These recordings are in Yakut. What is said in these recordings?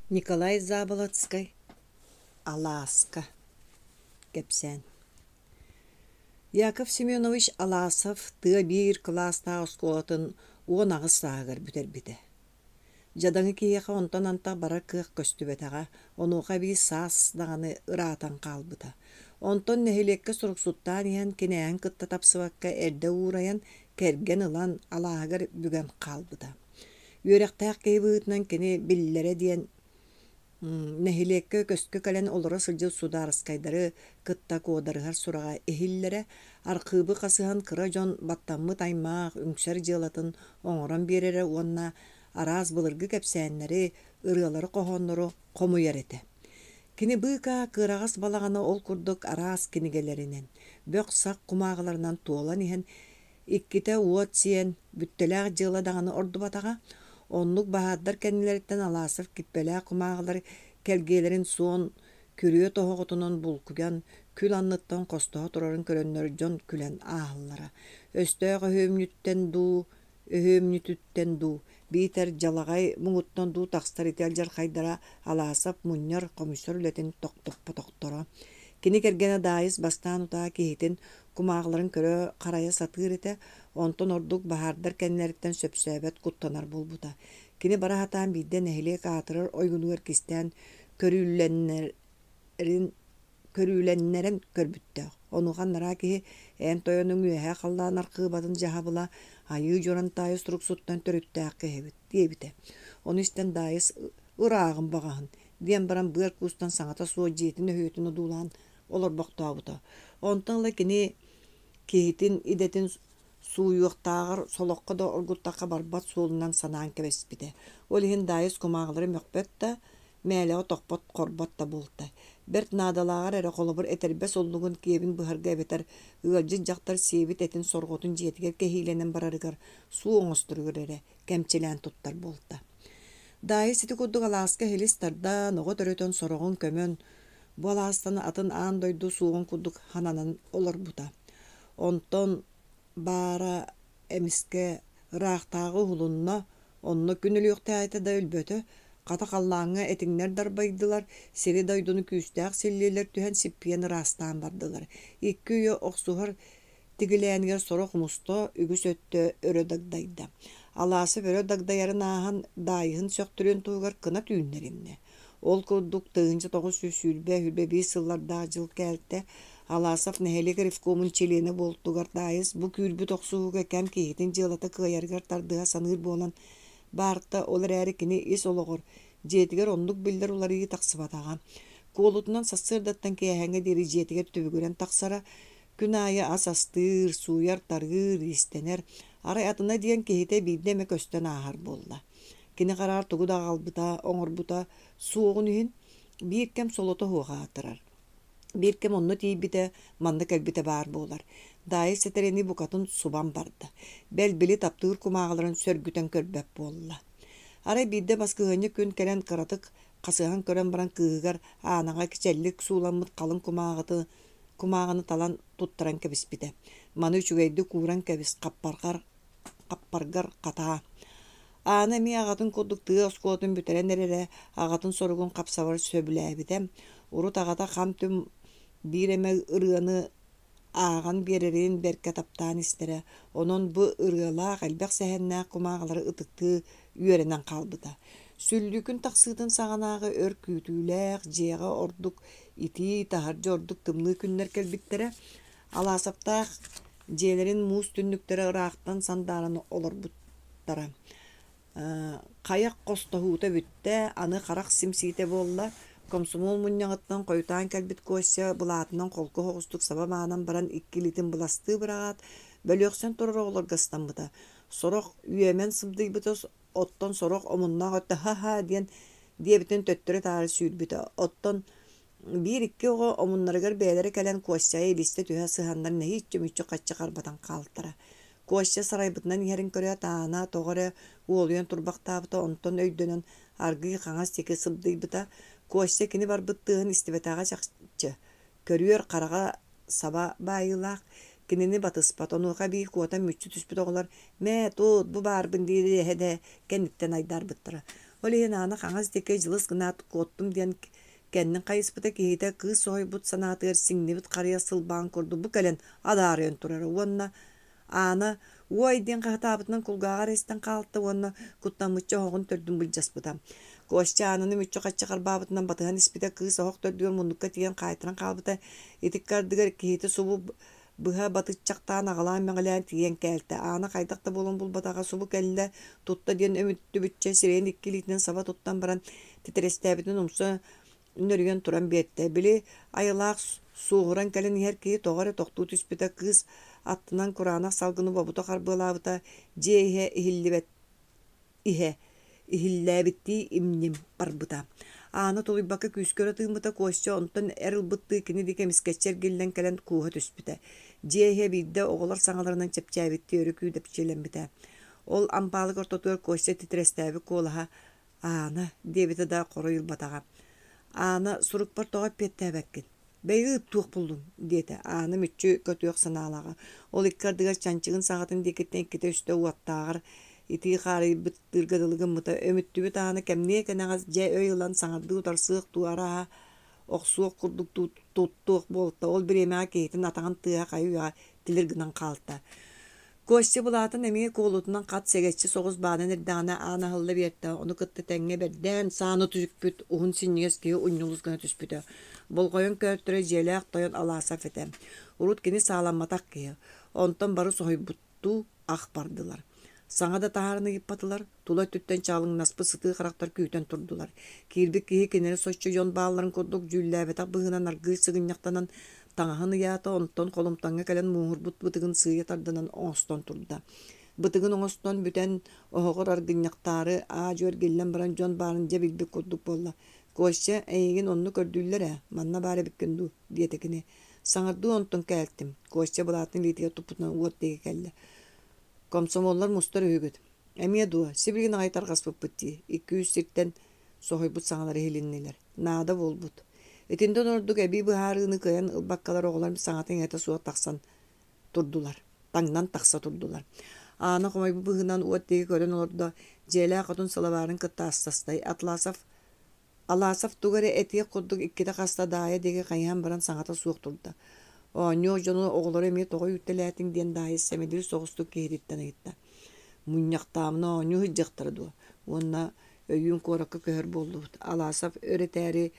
Николай Заболоцкай Алааска кэпсээн Яков Семенович Аласов тыа биир кылаастаах оскуолатын 18 сааһыгар бүтэрбитэ. Дьадаҥы киһиэхэ онтон антах барар кыах көстүбэтэҕэ, онуоха эбии саас даҕаны ыраатан хаалбыта. Онтон нэһилиэккэ суруксуттаан иһэн кинээһин кытта тапсыбакка эрдэ уурайан, кэргэн ылан, алааһыгар бүгэн хаалбыта. Үөрэхтээх киһи быһыытынан кини биллэрэ диэн нэһилиэккэ көскө кэлэн олоро сылдьар судаарыскайдары кытта куодарыһар сураҕа иһиллэрэ, архыыбы хасыһан кыра дьон баттаммыт аймаах үҥсэр дьыалатын оҥорон биэрэрэ уонна араас былыргы кэпсээннэри, ырыалары-хоһооннору хомуйар этэ. Кини быыкаа кыараҕас балаҕана ол курдук араас кинигэлэринэн, бөх-сах кумааҕыларынан туолан иһэн Иккитэ уот сиэн, бүттэлээх дьыала даҕаны ордубатаҕа. Оннук баһаардар кэннилэриттэн Аласов киппэлээх кумааҕылар кэлгиэлэрин суон күрүө тоһоҕотунан булкуйан, күл анныттан хостоһо турарын көрөннөр дьон күлэн ааһаллара. Өстөөх өһүөмньүттэн дуу, өһүөмньүтүттэн дуу, биитэр дьалаҕай муҥуттан дуу тахсар ити алдьархайдара Аласов мунньар, хомуйсар үлэтин тохтоппотохторо. Кини кэргэнэ Даайыс бастаан утаа киһитин кумааҕыларын көрө-харайа сатыыр этэ, онтон ордук баһаардар кэннилэриттэн сөпсөөбөт куттанар буолбута. Кини бара сатаан биирдэ нэһилиэк аатырар ойуунугар кистээн көрүүлэннэрин көрүүлэннэрэн көрбүттээх. Онуоха анараа киһи эн тойонуҥ үөһээ халлаан архыыбатын дьаһабыла Айыы Дьурантаайы суруксуттан төрүттээх киһибит диэбитэ. Ону истэн Даайыс ырааҕын баҕаһын диэн баран быар куустан саҥата суох дьиэтин өһүөтүн одуулаан олорбохтообута. Онтон ыла кини киһитин идэтин сууйуохтааҕар солоххо да оргуттахха барбат суолунан санаан кэбиспитэ. Ол иһин Даайыс кумааҕылары мөхпөт да, мээлэҕэ тохпот, хорбот да буолта. Бэрт наадалааҕар эрэ холобур этэрбэс уллугун киэбин быһарга эбэтэр ыалдьыт дьахтар сиэбит этин сорҕотун дьиэтигэр кэһиилэнэн барарыгар суу оҥосторугар эрэ кэмчилээн туттар буолта. Даайыс ити курдук алааска иһилис тардан, оҕо төрөтөн сороҕун көмөн, Бу алаастан атын аан дойду суоҕун курдук хананан олорбута. Онтон баара эмискэ ыраахтааҕы уһулунна, онно күн өлүөхтээҕитэ да өлбөтө, хата халлааҥҥа этиҥнэр дарбайдылар, сири-дойдуну күүстээх силлиэлэр түһэн сиппийэн ыраастаан бардылар. Икки үйэ охсуһар Тигилээнигэр сорох мусто, үгүс өттө өрө дагдайда. Алаасов өрө дагдайарын ааһан, Даайыһын сөхтөрүөн туһугар кынат үүннэриннэ. Ол курдук, 1920-21 сыллардаах дьыл кээлтэ Аласов нэһилиэк ревкомун чилиэнэ буолтугар Даайыс бу күүрбүт охсуһууга кэм киһитин дьыалата кыайарыгар тардыһа саныыр буолан баарта, ол эрээри кини ис олоҕор, дьиэтигэр оннук биллэр уларыйыы тахсыбатаҕа. Куолутунан сарсыардаттан киэһээҥҥэ диэри дьиэтигэр түбүгүрэн тахсара, Күн аайы ас астыыр, сууйар-тарыыр, иистэнэр, арай атына диэн киһитэ биирдэ эмэ көстөн ааһар буолла. Кини хараҕар тугу да аҕалбыта, оҥорбута суоҕун иһин биир кэм солото суох аатырар. Биир кэм онно тиийбитэ, манна кэлбитэ баар буолар. Даайыс сэтэрэни букатын субан барда. Бэл, били таптыыр кумааҕыларын сөргүтэн көрбөт буолла. Арай биирдэ баскыһыанньа күн кэлэн кыратык хасыһан көрөн баран кыыһыгар Аанаҕа кичэллик сууламмыт халыҥ кумааҕыты кумааҕыны талан туттаран кэбиспитэ. Маны үчүгэйдик ууран кэбис, хаппаргар, хаппаргар хатаа. Аана эмиэ аҕатын курдук тыа оскуолатын бүтэрэн эрэрэ, аҕатын соругун хапсабар сөбүлээбитэ. Урут аҕата хам-түм биир эмэ ырыаны ааҕан биэрэрин бэркэ таптаан истэрэ, онон бу ырыалаах, элбэх сэһэннээх кумааҕылары ытыктыы үөрэнэн хаалбыта. Сүллүүкүн тахсыытын саҕанааҕы өр күүтүүлээх, дьиэҕэ ордук итии, таһырдьа ордук тымныы күннэр кэлбиттэрэ. Алаасаптаах дьиэлэрин муус түннүктэрэ ыраахтан сандааран олорбуттара. Хайах хостоһуута бүттэ, аны харах симсиитэ буолла. Комсомол мунньаҕыттан хойутаан кэлбит Костя былаатынан холку соҕустук саба маанан баран икки илиитин быластыы быраҕаат, бөлүөхсэн турар оҕолорго ыстаммыта. Сорох үөмэн сыбдыйбыта, оттон сорох омуннаах өттө ха-ха диэн диэбитин төттөрү-таары сүүрбүтэ. Оттон биир-икки оҕо омуннарыгар бэйэлэрэ кэлэн Костяҕа илистэ түһэ сыһаннар нэһииччэ мүччү-хаччы харбатан хаалтара. Костя сарайбытынан иһэрин көрөөт, Аана тоҕо эрэ уолуйан турбахтаабыта, онтон өйдөнөн аргыый хаҥас диэки сыбдыйбыта. Костя кини барбыт тыаһын истибэтэҕэ чахчы. Көрүөр хараҕа саба баайыылаах, кинини батыспат, онуоха эбии куотан мүччү түспүт оҕолор «Мээ, тут, бу баарбын» диир эһэ да кэнниттэн айдаарбыттара. Ол иһин Аана хаҥас диэки дьылыс гынаат куоттум диэн кэннин хайыспыта киһитэ кыыс соһуйбут санаатыгар сиҥнибит харыйа сылбаан курдук бу кэлэн адаарыйан турара уонна Аана «Уой!» диэн хаһытаабытынан кулгааҕар эрэ истэн хаалта уонна куттаммычча оһоҕун төрдүн былдьаспыта. Костя Аананы мүччү-хаччы харбаабытынан батыһан испитэ, кыыс оһох төрдүгэр муннукка тиийэн хаайтаран хаалбыта. Ити ардыгар киһитэ субу быһа батыччахтаан аҕалаан-мэҕилээн тиийэн кээлтэ. Аана хайдах да буолан булбатаҕа субу кэллэ, тутта диэн өмүттүбүччэ сирэйин икки илиитинэн саба туттан баран титирэстээбитин умса нөрүйэн туран биэртэ. Били айылаах суоһуран кэлэн иһэр киһи тоҕо эрэ тохтуу түспүтэ, кыыс аттынан кураанах салгыны бобута харбыалаабыта, дьиэ иһэ иһиллибэт иһэ иһиллээбиттии имним барбыта. Аана тулуйбакка күүскэ өрө тыыммыта, Костя онтон эр ылбыттыы кини диэки эмискэччи эргиллэн кэлэн кууһа түспүтэ. Дьиэ иһэ биирдэ оҕолор саҥаларынан чэпчээбиттии өрө күүдэпчилэммитэ. Ол ампаалык ортотугар Костя титирэстээбит куолаһа «Аана» диэбитэ да хоруй ылбатаҕа. «Аана, сурукпар тоҕо эппиэттээбэккин? Бэйи ыыт туох буллуҥ?» диэтэ. Аана мүччү көтүөх санаалааҕа. Ол икки ардыгар чанчыгын саҕатын диэкиттэн иккитэ-үстэ уоттааҕар итии хаарыйбыттыырга дылы гыммыта. Өмүттүбүт Аана кэмниэ кэнэҕэс дьэ өй ылан саҥардыы утарсыах дуу арааһа охсуох курдук туттуох буолта. Ол бириэмэҕэ киһитин атаҕын тыаһа хайы-үйэҕэ тилир гынан хаалта. Костя былаатын эмиэ куолутунан хат сэгэччи соҕус баанан эрдэҕинэ аан аһылла биэртэ, ону кытта тэҥҥэ бэрдээн сааны түспүт уһун синньигэс киһи унньулус гына түспүтэ. Болҕойон көөртөрө дьиэлээх тойон Аласов этэ. Урут кини сааламматах киһи. Онтон бары соһуйбуттуу ах бардылар. Саҥа да таһааран ыйыппатылар, тула өттүттэн чаалыҥнаспыт сытыы харахтар күүтэн турдулар. Киирбит киһи кинилэри соччо дьон баалларын курдук дьүүллээбэтэх быһыынан аргыый сыгынньахтанан таҥаһын ыйаата, онтон холумтаҥҥа кэлэн мууһурбут бытыгын сыыйа тардынан оҥостон турда. Бытыгын оҥостон бүтэн, оһоҕор аргынньахтаары аа-дьуо эргиллэн баран дьон баарын дьэ билбит курдук буолла. «Костя, эйигин онно көрдүүллэр ээ, манна баар эбиккин дуу?» диэтэ кини. «Саҥардыы онтон кээлтим», Костя былаатын илиитигэр туппутунан уот диэки кэллэ. «Комсомоллар мустар үһүгүт. Эмиэ дуо, сибилигин аҕай тарҕаспыппыт дии, икки-үс сиртэн соһуйбут саҥалар иһилиннилэр. Наада буолбут. Итинтэн ордук эбии быһаарыыны кыайан ылбаккалар оҕолор саҥата-иҥэтэ суох тахсан турдулар, таҥнан тахса турдулар. Аана хомойбут быһыынан уот диэки көрөн олордо, дьиэлээх хотун сылабаарын кытта астастай. Атласов Аласов тугу эрэ этиэх курдук иккитэ-хаста Даайа диэки хайыһан баран саҥата суох турда. Оонньуох дьону оҕолору эмиэ тоҕо үүттэлээтиҥ диэн Даайа сэмэлиир соҕустук киһититтэн ыйытта. Мунньахтаамына оонньуу сылдьыахтара дуо? Уонна өйүүн куоракка көһөр буоллубут. Аласов өр этээри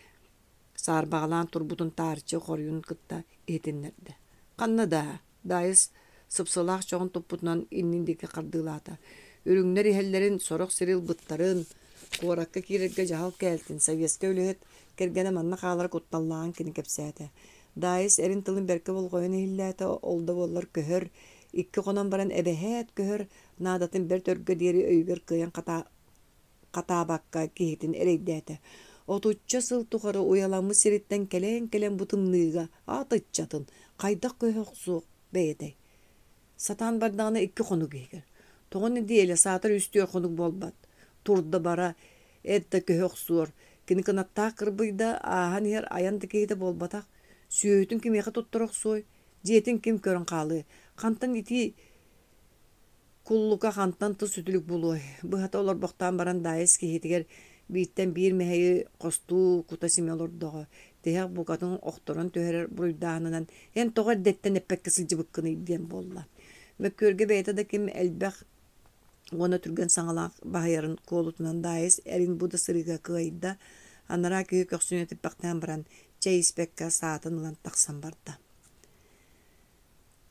саарбаҕалаан турбутун таарыччы хоруйун кытта иһитиннэрдэ. Ханна даа? Даайыс сыпсылаах чоҕун туппутунан иннин диэки хардыылаата. Үрүҥнэр иһэллэрин, сорох сири ылбыттарын, куоракка киирэргэ дьаһал кээлтин, советскай үлэһит кэргэнэ манна хаалара кутталлааҕын кини кэпсээтэ. Даайыс эрин тылын бэркэ болҕойон иһиллээтэ, ол да буоллар көһөр, икки хонон баран эбэһээт көһөр наадатын бэрт өргө диэри өйүгэр кыайан хатаабакка киһитин эрэйдээтэ. Отучча сыл тухары уйаламмыт сириттэн кэлэн-кэлэн бу тымныыга аат ыччатын хайдах көһө охсуох бэйэтэй? Сатаан бардаҕына икки хонук иһигэр. Тоҕо нэдиэлэ саатар үс-түөрт хонук буолбат. Турда бара, эт да көһө охсуор. Кини кынаттаах кырбыйда, ааһан иһэр айан да киһитэ буолбатах. Сүөһүтүн кимиэхэ туттара охсуой? Дьиэтин ким көрөн хаалыай? Хантан итии Куллука хантан тус үтүлүк булуой, быһата олорбохтоон баран Даайыс киһитигэр бииртэн биир мэһэйи хостуу кута симэ олордоҕо, тиһэх букатын охторон түһэрэр буруйдааһынынан эн тоҕо эрдэттэн эппэккэ сылдьыбыккыный диэн буолла. Мөккүөргэ бэйэтэ да ким элбэх уонна түргэн саҥалаах баһыйарын куолутунан Даайыс эрин бу да сырыыга кыайда, анараа киһи көхсүн этиппэхтээн баран чэй испэккэ саатын ылан тахсан барда.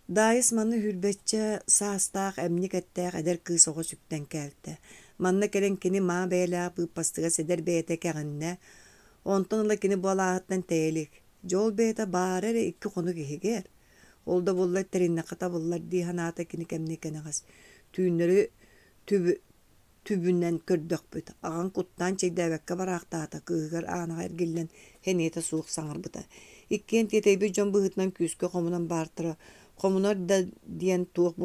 Даайыс маны сүүрбэччэ саастаах эмньик эттээх эдэр кыыс оҕо сүктэн кээлтэ. Манна кэлэн кини маа бэйэлээх быыппастыгас эдэр бэйэтэ кэҕиннэ, онтон ыла кини бу алааһыттан тэйэ илик. Дьэ ол бэйэтэ баара эрэ икки хонук иһигэр. Ол да буоллар тэриннэххэ табыллар дии санаата кини кэмниэ кэнэҕэс. Түүннэри түбү түбүнэн көрдөхпүт, аҕаҥ куттаан чэйдээбэккэ бараахтаата, кыыһыгар Аанаҕа эргиллэн сэниэтэ суох саҥарбыта. Иккиэн тиэтэйбит дьон быһыытынан күүскэ хомунан баартара, хомунар да диэн туох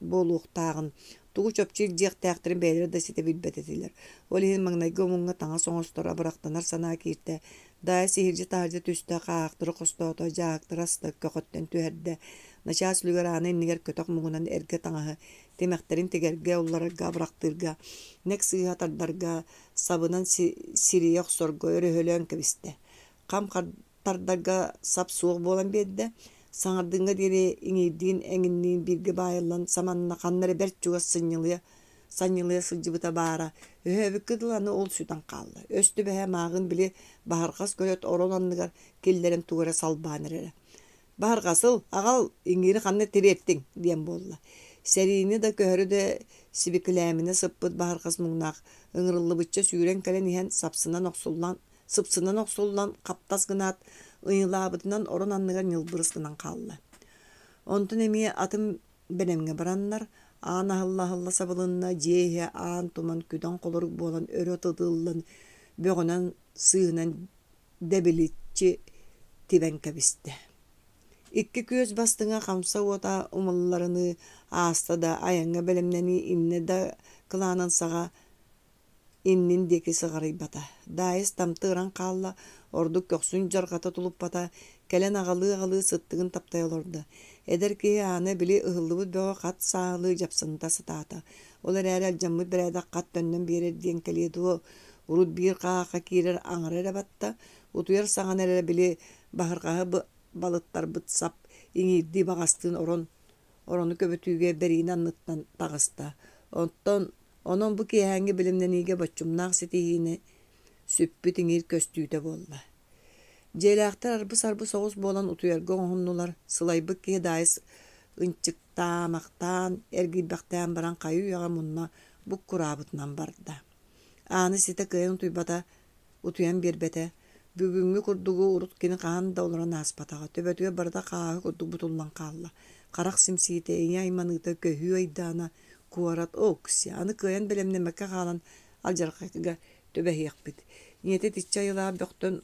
буолуохтааҕын Тугу чопчу илдьиэхтээхтэрин бэйэлэрэ да ситэ билбэт этилэр. Ол иһин маҥнайгы омуҥҥа таҥас оҥостор, абырахтанар санаа кииртэ. Даайыс иһирдьэ-таһырдьа түстэ, хааһахтары хостоото, дьааһыктары аста, көхөттөн түһэрдэ. Начаас үлүгэр аана иннигэр көтөх муҥунан эргэ таҥаһы, тимэхтэрин тигэргэ, улларарга, абырахтыырга, нэк сыыһа тардарга, сабынан сирийэ охсорго өрөһөлөөн кэбистэ. Хам тардарга сап суох буолан биэрдэ. Саҥардыҥҥа диэри иҥиирдиин эҥинниин бииргэ баайыллан саманна ханна эрэ бэрт чугас сынньылыйа санньылыйа сылдьыбыта баара. Өһөөбүккэ дылы аны ол сүтэн хаалла. Өс түбэһэ мааҕын били баһырҕас көлөт орон анныгар киллэрэн тугу эрэ салбаан эрэрэ. «Баһырҕас ыл, аҕал, иҥиири ханна тириэртиҥ?» диэн буолла. Сэриини да көһөрү да сибикилээминэ сыппыт баһырҕас муҥнаах ыҥырыллыбычча сүүрэн кэлэн иһэн сапсынан охсуллан сыпсынан охсуллан хаптас гынаат, ыйылаабытынан орон анныгар ньылбырыс гынан хаалла. Онтон эмиэ атын бэлэмҥэ бараннар, аан аһылла-аһылла сабылынна, дьиэ иһэ аан туман күдэн холорук буолан өрө тытыллан, бөҕөнөн сыыһынан дэбиличчи тибэн кэбистэ. Икки күөс бастыҥа хамса уота умулларыныы ааста да айаҥҥа бэлэмнэнии иннэ да кылаанын саҕа иннин диэки сыҕарыйбата. Даайыс тамты ыран хаалла, ордук көхсүн дьарҕата тулуппата, кэлэн аҕалыы-аҕалыы сыттыгын таптайа олордо. Эдэр киһи аана били ыһыллыбыт бөҕө хат сааһылыы дьапсынта сатаата. Ол эрээри алдьаммыт бэрээдэк хат төннөн биэрэр диэн кэлиэ дуо, урут биир хааха киирэр аҥара эрэ батта, утуйар саҕана эрэ били баһырҕаһы балыттарбыт сап иҥиирдии баҕастыын орон орону көбүтүүгэ бэриинэ анныттан таҕыста. Оттон онон бу киэһээҥҥи бэлэмнэниигэ боччумнаах ситиһиини сүппүт иҥиир көстүүтэ буолла. Дьиэлээхтэр арбы-сарбы соҕус буолан утуйарга оҥоһуннулар, сылайбыт киһи Даайыс ынчыктаамахтаан, эргийбэхтээн баран хайы-үйэҕэ мунна буккураабытынан барда. Ааны ситэ кыайан утуйбата, утуйан биэрбэтэ. Бүгүҥҥү курдугу урут кини хаһан да олорон ааспатаҕа, төбөтүгэр барыта хааһы курдук бутуллан хаалла. Харах симсиитэ, ийэ айманыыта, көһүү айдаана, куорат, окси, аны кыайан бэлэмнэммэккэ хаалан алдьархайга түбэһиэхпит. Ийэтэ итиччэ айылаах бөхтөн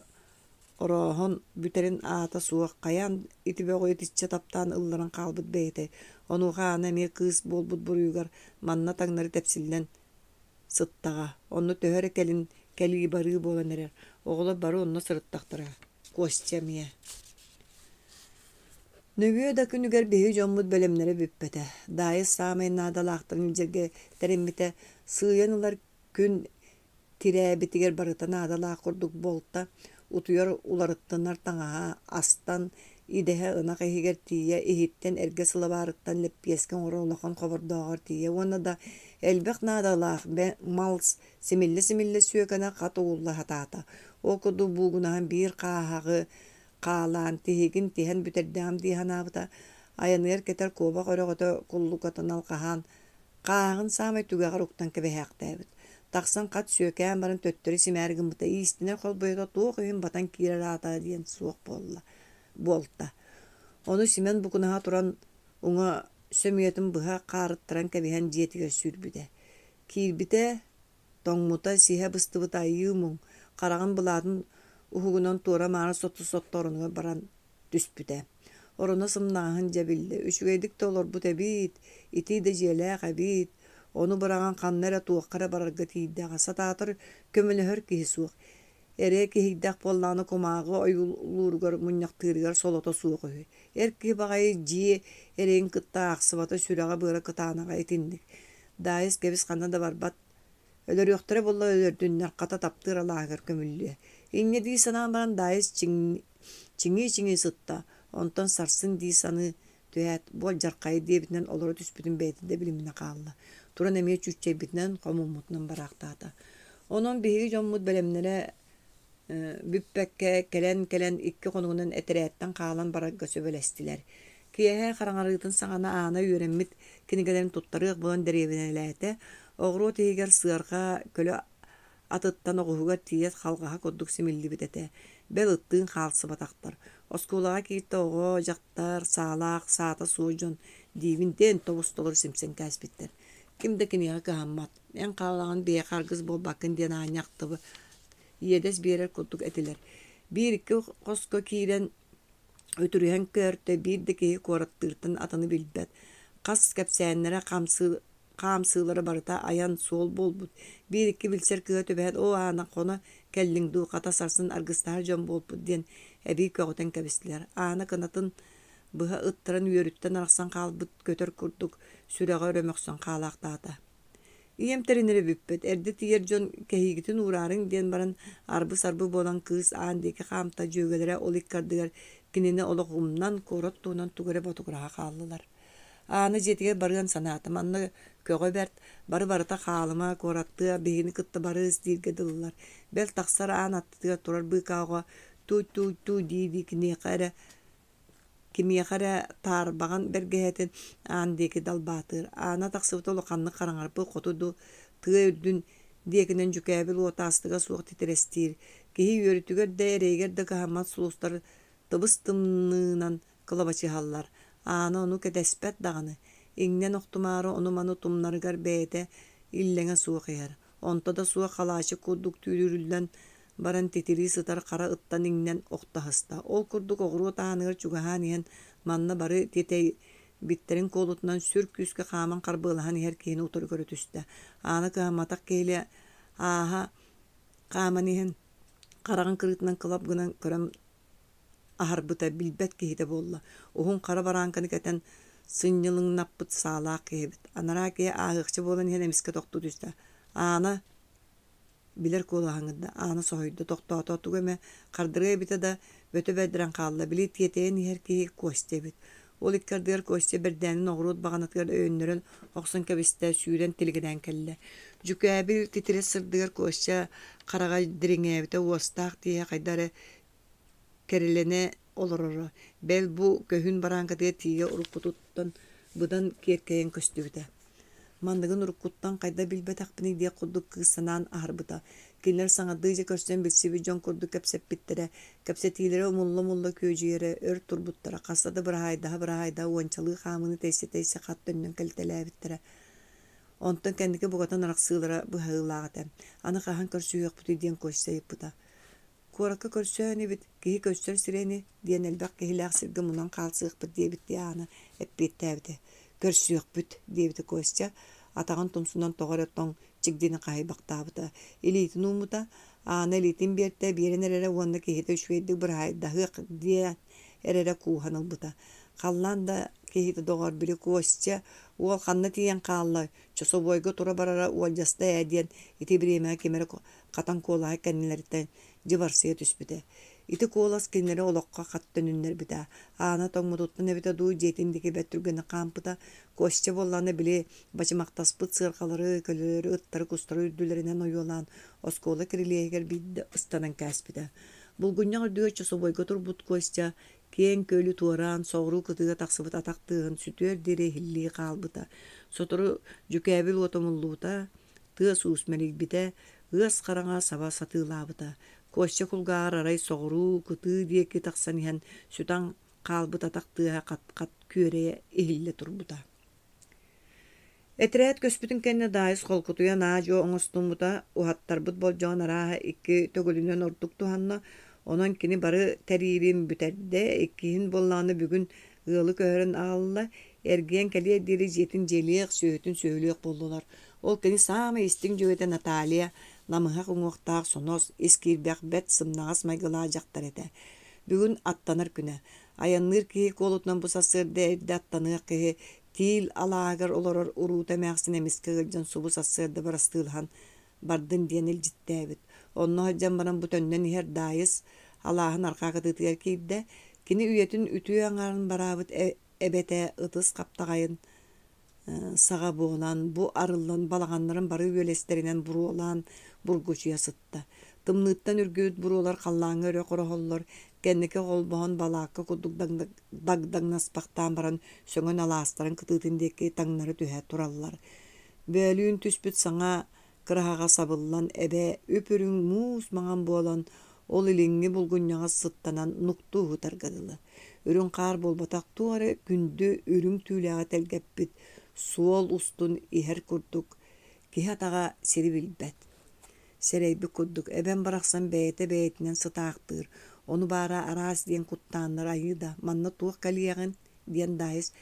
орооһон бүтэрин аата суох, хайаан ити бөҕү итиччэ таптаан ылларан хаалбыт бэйэтэй, онуоха Аана эмиэ кыыс буолбут буруйугар манна таҥнары тэпсиллэн сыттаҕа, онно төһө эрэ кэлин кэлии-барыы буолан эрэр, оҕолор бары онно сырыттахтара, Костя эмиэ. Нөҥүө да күнүгэр биһиги дьоммут бэлэмнэрэ бүппэтэ. Даайыс саамай наадалаахтарын илдьэргэ тэриммитэ, сыыйан ылар күн тирээбитигэр барыта наадалаах курдук буолта, утуйар уларыттанар таҥаһа астан, идэһэ ынах иһигэр тиийэ, иһиттэн эргэ сылабаарыттан лэппиэскэ оҥорор улахан хобордооҕор тиийэ уонна да элбэх наадалаах мал симиллэ-симиллэ сүөкэнэ хат угулла сатаата. Ол курдук буугунаһан биир хааһаҕы хаалаан, тиһигин тиһэн бүтэрдэҕим дии санаабыта, айаныгар кэтэр куобах өрөҕөтө куллукатын алҕаһаан, хааһаҕын саамай түгэҕэр уктан кэбиһээхтээбит. Тахсан хат сүөкээн баран төттөрү симээри гыммыта, иистэнэр холбойото туох иһин батан киирэр аата диэн суох буолла буолта. Ону Симэн букунаһа туран уҥа сөмүйэтин быһа хаарыттаран кэбиһэн дьиэтигэр сүүрбүтэ. Киирбитэ, тоҥмута, сиһэ быстыбыта айыы муҥ, хараҕын былаатын уһугунан туора-маары сотто-сотто оронугар баран түспүтэ. Ороно сымнаҕаһын дьэ биллэ, үчүгэйдик да олорбут эбит, итии да дьиэлээх эбит, ону быраҕан ханна эрэ туохха эрэ барарга тиийдэҕэ, сатаатар көмөлөһөр киһи суох. Эрэ киһийдэх буоллаҕына кумааҕы ойуулууругар мунньахтыырыгар солото суох үһү. Эр киһи баҕайы дьиэ эрэйин кытта аахсыбата сүрэҕэ-быара кытаанаҕа итинник. Даайыс кэбис ханна да барбат Өлөрүөхтэрэ буолла өлөрдүннэр, хата таптыыр алааһыгар көмүллүө. Инньэ дии санаан баран Даайыс чиҥии-чиҥии сытта, онтон сарсын дии саныы түһээт, буолдьархайы диэбитинэн олоро түспүтүн бэйэтэ да билиминэ хаалла. Туран эмиэ чүүччэйбитинэн, хомуммутунан бараахтаата. Онон биһиги дьоммут бэлэмнэрэ бүппэккэ, кэлэн-кэлэн икки хонугунан этэрээттэн хаалан барарга сөбүлэстилэр. Киэһэ хараҥарыытын саҕана Аана үөрэммит кинигэлэрин туттарыах буолан дэриэбинэлээтэ, оҕуруот иһигэр сыарҕа көлө атыттан оҕуһугар тиийэ халҕаһа курдук симиллибит этэ, бэл ыттыын хаалсыбатахтар. Оскуолаҕа кииртэ оҕо, дьахтар, саалаах, саата суох дьон диибин диэн тобус-толору симсэн кээспиттэр. Ким да киниэхэ кыһаммат, эн хаалаҕын биһиэхэ аргыс буолбаккын диэн аанньа ахтыбыт иэдэс биэрэр курдук этилэр. Биир-икки хоско киирэн үтүрүһэн көөртө, биир да киһи куораттыыртан атыны билбэт. Хас кэпсээннэрэ хамсыы Хаамсыылара барыта айан суол буолбут. Биир-икки билсэр кыыһа түбэһэн «Оо, Аана, хоно кэллиҥ дуу, хата сарсын аргыстаһар дьон буолпут» диэн эбии көҕүтэн кэбистилэр. Аана кынатын быһа ыттаран үөрүттэн арахсан хаалбыт көтөр курдук сүрэҕэ өрө мөхсөн хаалаахтаата. Ийэм тэринэрэ бүппүт, эрдэ тиийэр дьон кэһиигитин уураарыҥ диэн баран арбы-сарбы буолан кыыс аан диэки хаамта, дьүөгэлэрэ ол икки ардыгар кинини олох умнан, куорат туһунан тугу эрэ ботугураһа хааллылар. Аана дьиэтигэр барыан санаата, манна көҕө бэрт, бары-барыта хаалыма, куораттыа, биһигини кытта барыыс дииргэ дылылар. Бэл тахсар аан аттытыгар турар быыкаа оҕо туу-туу-туу дии-дии киниэхэ эрэ кимиэхэ эрэ таарбаҕан бэргэһэтин аан диэки далбаатыыр. Аана тахсыбыта улаханнык хараҥарбыт хоту дуу тыа үрдүн диэкинэн дьүкээбил уотаастыга суох титирэстиир. Киһи үөрүүтүгэр да, эрэйигэр да кыһаммат сулустар тыбыс-тымныынан кылабачыһаллар. Аана ону кэтэспэт даҕаны, иҥнэн охтумаары ону-маны тумнарыгар бэйэтэ иллэҥэ суох иһэр. Онто да суох халаачык курдук түүрүллэн баран титирии сытар хара ыттан иҥнэн охто аһыста. Ол курдук оҕуруот ааныгар чугаһаан иһэн манна бары тиэтэйбиттэрин куолутунан сүр күүскэ хааман харбыалаһан иһэр киһини утары көрө түстэ. Аана кыһамматах киһилии ааһа хааман иһэн хараҕын кырыытынан кылап гынан көрөн аһарбыта билбэт киһитэ буолла. Уһун хара барааҥканы кэтэн сынньылыҥнаппыт саалаах киһи эбит. Анараа киһи ааһыахча буолан иһэн эмискэ тохтуу түстэ. Аана билэр куолаһыҥ да Аана соһуйда, тохтоото, тугу эмэ хардарыа эбитэ да, бөтө бэрдэрэн хаалла. Били тиэтэйэн иһэр киһи Костя эбит. Ол икки ардыгар Костя бэрдээнин оҕуруот баҕанатыгар өйөннөрөн охсон кэбистэ, сүүрэн тилигирээн кэллэ. Дьүкээбил титирэс сырдыгар Костя хараҕа дириҥээбитэ, уостаах тииһэ хайда эрэ кэрэлэнэ олороро, бэл бу көһүн барааҥкатыгар тиийэ уруккутуттан быдан киэркэйэн көстүбүтэ. Манныгын уруккуттан хайда билбэтэхпиний диэх курдук кыыс санаан аһарбыта. Кинилэр саҥардыы дьэ көрсөн билсибит дьон курдук кэпсэппиттэрэ, кэпсэтиилэрэ умулла-умулла күөдьүйэрэ, өр турбуттара, хаста да быраһаайдаһа-быраһаайдаһа уончалыы хаамыыны тэйсэ-тэйсэ хат төннөн кэлитэлээбиттэрэ. Онтон кэнники букатын арахсыылара быһаарыылаах этэ. Аны хаһан көрсүһүөхпүтүй диэн Костя ыйыппыта. Куоракка көрсөө инибит, киһи көрсөр сирэ ини, диэн элбэх киһилээх сиргэ мунан хаалсыахпыт диэбиттии Аана эппиэттээбитэ. Көрсүөхпүт, диэбитэ Костя, атаҕын тумсунан тоҕо эрэ тоҥ чигдини хаһыйбахтаабыта. Илиитин ууммута, Аана илиитин биэртэ, биэрэн эрэрэ уонна киһитэ үчүгэйдик быраһаайдаһыах диэн эрэрэ кууһан ылбыта. Халлаан да киһитэ доҕор, били Костя уол ханна тиийэн хаалла, чособуойга тура барара уолдьаста ээ диэн ити бириэмэҕэ ким эрэ хатан куолаһа кэннилэриттэн дьыбарсыйа түспүтэ. Ити куолас кинилэри олоххо хат төнүннэрбитэ. Аана тоҥмутуттан эбитэ дуу, дьиэтин диэки бэрт түргэнник хаампыта. Костя буоллаҕына били бачымахтаспыт сыарҕалары, көлөлөрү, ыттары, кустары үрдүлэринэн ойуолаан оскуола кирилиэһигэр биирдэ ыстанан кээспитэ. Булгунньах үрдүгэр чособуойга турбут Костя киэҥ күөлү туораан, соҕуруу кытыыга тахсыбыт атах тыаһын сүтүөр диэри иһиллии хаалбыта. Сотору дьүкээбил уота умуллубута, тыас-уус мэлийбитэ, ыас хараҥа саба сатыылаабыта. Костя кулгааҕар арай соҕуруу, кытыы диэки тахсан иһэн сүтэн хаалбыт атах тыаһа хат-хат күөрэйэ иһиллэ турбута. Этэрээт көспүтүн кэннэ Даайыс холкутуйан аа-дьуо оҥостуммута, уһаттарбыт болдьоҕун арааһа икки төгүлүнэн ордук туһанна, онон кини бары тэриирин бүтэрдэ, иккиһин буоллаҕына бүгүн ыалы көһөрөн аҕалла, эргийэн кэлиэр диэри дьиэтин дьиэлиэх, сүөһүтүн сүөһүлүөх буоллулар. Ол кини саамай истиҥ дьүөгэтэ Наталья намыһах уҥуохтаах, сонос, ис киирбэх, бэрт сымнаҕас майгылаах дьахтар этэ. Бүгүн аттанар күнэ. Айанныыр киһи куолутунан бу сарсыарда эрдэ аттаныах киһи Тиил алааһыгар олорор уруута эмээхсин эмискэ ыалдьан субу сарсыарда бырастыылаһан бардын диэн илдьиттээбит. Онно сылдьан баран бу төннөн иһэр Даайыс алааһын арҕаа кытыытыгар киирдэ. Кини үйэтин үтүө аҥаарын бараабыт эбэтэ ытыс хаптаҕайын саҕа буолан, бу арыллан балаҕаннарын бары үөлэстэринэн буруолаан бургучуйа сытта. Тымныыттан үргүбүт буруолар халлааҥҥа өрө хороһоллор, кэнники холбоһон балаакка курдук дагдаҥнаспахтаан баран сөҥөн алаастарын кытыытын диэки таҥнары түһэ тураллар. Бөөлүүн түспүт саҥа кыраһаҕа сабыллан эбэ үп-үрүҥ муус маҥан буолан, ол илиҥҥи булгунньаҕа сыттанан нуктуу уһутарга дылы. Үрүҥ хаар буолбатах туох эрэ күндү үрүҥ түүлээҕи тэлгэппит суол устун иһэр курдук киһи атаҕа сири билбэт. Сэрэйбит курдук, эбэм барахсан бэйэтэ бэйэтинэн сытаахтыыр, ону баара араас диэн куттааннар айыы да, манна туох кэлиэҕин диэн Даайыс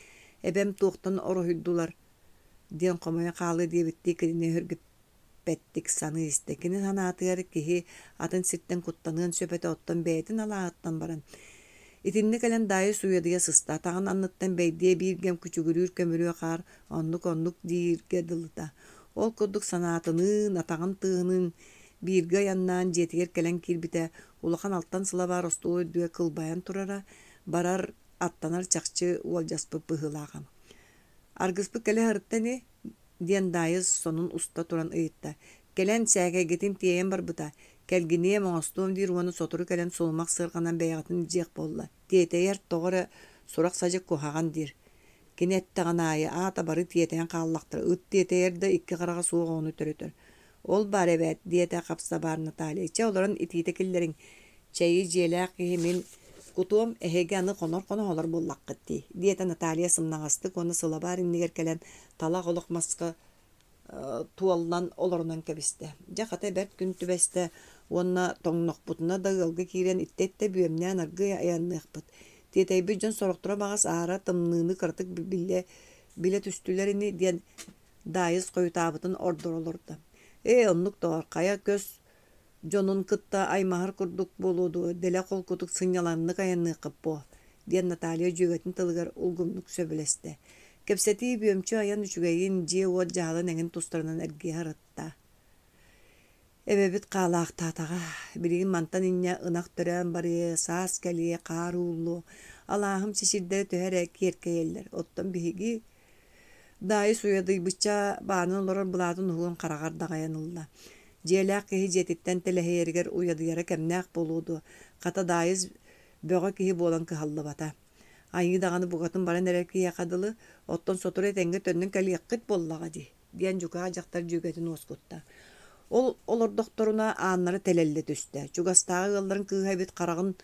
эбэм туохтан ороһуйдулар. диэн хомойон хаалыа диэбиттии кинини өһүргэппэттик саныы истэ. Кини санаатыгар киһи атын сиртэн куттаныан сөп этэ, оттон бэйэтин алааһыттан баран Итиннэ кэлэн Даайыс уйадыйа сыста, атаҕын анныттан бэйдиэ биир кэм күчүгүрүүр көмүрүө хаар оннук-оннук дииргэ дылыта. Ол курдук санаатыныын, атаҕын тыаһыныын бииргэ айаннаан дьиэтигэр кэлэн киирбитэ, улахан алтан сылабаар остуол үрдүгэр кылбайан турара, барар, аттанар чахчы уолдьаспыт быһыылааҕа. Аргыспыт кэлэ сырытта ини диэн Даайыс сонун уста туран ыйытта. Кэлэн сээкэйгитин тиэйэн барбыта. Кэлгиниэм, оҥостуом диир уонна сотору кэлэн сулумах сыарҕанан бэйэҕитин илдьиэх буолла. Тиэтэйэр тоҕо эрэ сурах-садьык куһаҕан диир. Кини эттэҕин аайы аата бары тиэтэйэн хааллахтара. Ыт тиэтэйэр да икки хараҕа суох оҕону төрөтөр. Ол баар эбээт, диэтэ хапсабаар Наталья. Чэ, олорон итиитэ киллэриҥ. Чэйи дьиэлээх киһи мин кутуом, эһиги аны хонор хоноһолор буоллаххыт дии, диэтэ Наталья сымнаҕастык уонна сылабаар иннигэр кэлэн талах олох маска туоллан олорунан кэбистэ. Дьэ, хата бэрт күн түбэстэ уонна тоҥнохпутуна да ыалга киирэн иттэ-иттэ бүөмнээн аргыый айанныахпыт. Тиэтэйбит дьон сорохторо баҕас аара тымныыны кыратык биллэ билэ түстүлэр ини диэн Даайыс хойутаабытын ордоро олордо. Ээ, оннук доҕор, хайа көс дьонун кытта аймаһар курдук буолуо дуо, дэлэ холкутук сынньалаҥнык айанныаххыт буо, диэн Наталья дьүөгэтин тылыгар улгумнук сөбүлэстэ. Кэпсэтии бүөмчү айан үчүгэйин, дьиэ-уот дьаһалын эҥин тустарынан эргийэ сырытта. Эбэбит хаалаахтаатаҕа, билигин мантан инньэ ынах төрөөн барыа, саас кэлиэ, хаар ууллуо, алааһым сисирдэрэ төһө эрэ киэркэйэллэр, оттон биһиги Даайыс уйадыйбычча баанан олорор былаатын уһугун хараҕар даҕайан ылла. Дьиэлээх киһи дьиэтиттэн тэлэһийэригэр уйадыйара кэмнээх буолуо дуо, хата Даайыс бөҕө киһи буолан кыһаллыбата. Айыы даҕаны букатын баран эрэр киһиэхэ дылы, оттон сотору этэҥҥэ төннөн кэлиэххит буоллаҕа дии, диэн дьукаах дьахтар дьүөгэтин уоскутта. Ол олордохторуна ааннара тэлэллэ түстэ. Чугастааҕы ыалларын кыыһа эбит хараҕын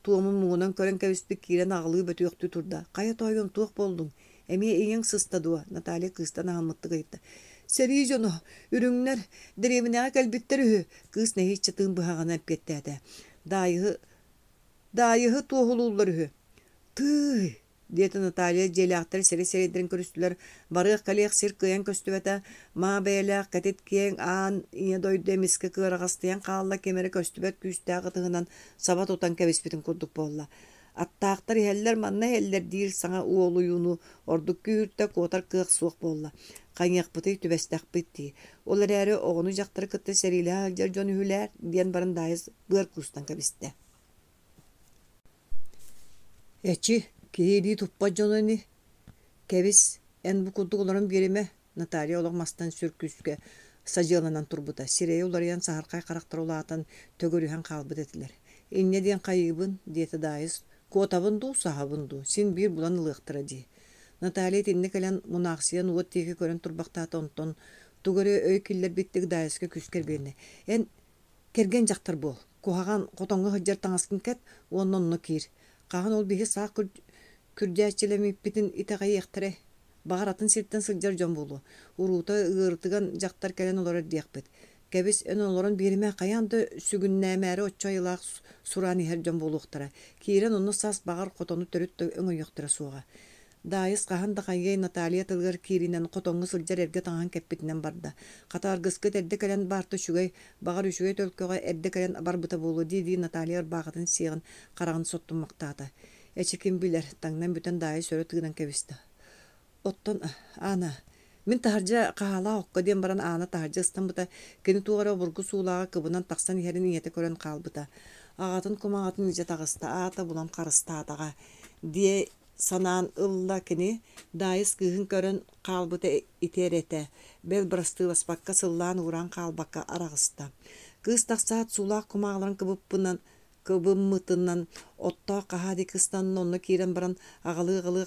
туомун муҥунан көрөн кэбиспит киирэн аҕылыы бөтүөхтүү турда. «Хайа тоойуом, туох буоллуҥ? Эмиэ ийэҥ сыста дуо?» Наталья кыыстан аһыммыттык ыйытта. «Сэрии дьоно, үрүҥнэр, дэриэбинэҕэ кэлбиттэр үһү», кыыс нэһииччэ тыын быһаҕынан эппиэттээтэ. Даайыһы Даайыһы туоһулууллар үһү. «Тыый!» диэтэ Наталья дьиэлээхтэр сири-сирэйдэрин көрүстүлэр, барыах-кэлиэх сир кыайан көстүбэтэ, маа бэйэлээх кэтит киэҥ аан ийэ дойду эмискэ кыараҕастыйан хаалла, ким эрэ көстүбэт күүстээх ытыһынан саба тутан кэбиспитин курдук буолла. Аттаахтар иһэллэр, манна иһэллэр диир саҥа уолуйууну ордук күүһүртэ, куотар кыах суох буолла. Хайыахпытый, түбэстэхпит дии. Ол эрээри оҕону-дьахтары кытта сэриилэһэ сылдьар дьон үһүлээр, диэн баран Даайыс быар куустан кэбистэ. Эчи, киһи илии туппат дьоно ини. Кэбис, эн бу курдук олорон биэримэ, Наталья олох мастан сүр күүскэ садьыаланан турбута, сирэйэ уларыйан саһархай харахтара улаатан, төгүрүһэн хаалбыт этилэр. Инньэ диэн хайыыбын, диэтэ Даайыс, куотабын дуу, саһабын дуу, син биир булан ылыахтара дии. Наталья итиннэ кэлэн мунаахсыйан уот диэки көрөн турбахтаата, онтон тугу эрэ өй киллэрбиттик Даайыска күүскэ эргилиннэ. Эн Кэргэн дьахтар буол, куһаҕан хотоҥҥо сылдьар таҥаскын кэт уонна онно киир. Хаһан ол биһи саах күрдьээччилэммиппитин итэҕэйиэхтэрэй? Баҕар атын сиртэн сылдьар дьон буолуо. Уруута ыарытыган дьахтар кэлэн олорор диэхпит. Кэбис, эн олорон биэримэ, хайаан да сүгүннээмээри оччо айылаах сураан иһэр дьон буолуохтара. Киирэн онно саас баҕар хотону төрүт да өҥөйүөхтэрэ суоҕа. Даайыс хаһан да хайыай Наталья тылыгар кииринэн хотоҥҥо сылдьар эргэ таҥаһын кэппитинэн барда. Хата аргыскыт эрдэ кэлэн баарта үчүгэй, баҕар үчүгэй төлкөҕө эрдэ кэлэн барбыта буолуо дии-дии Наталья ырбаахытын сиэҕин хараҕын соттуммахтаата. Эчи ким билэр, таҥнан бүтэн Даайыс өрө тыынан кэбистэ. Оттон Аана, мин таһырдьа хаһаалаах окко диэн баран Аана таһырдьа ыстаммыта, кини туох эрэ обургу суулааҕы кыбынан тахсан иһэрин ийэтэ көрөн хаалбыта. Аҕатын кумаҕатын илдьэ таҕыста, аата булан харыстаатаҕа диэ санаан ылла кини, Даайыс кыыһын көрөн хаалбыта ити эрэ этэ, бэл бырастыыласпакка сыллаан-уураан хаалбакка араҕыста. Кыыс тахсаат суулаах кумааҕыларын кыбыппынан кыбыммытынан оттоох хаһаа диэки ыстанна, онно киирэн баран аҕалыы-аҕалыы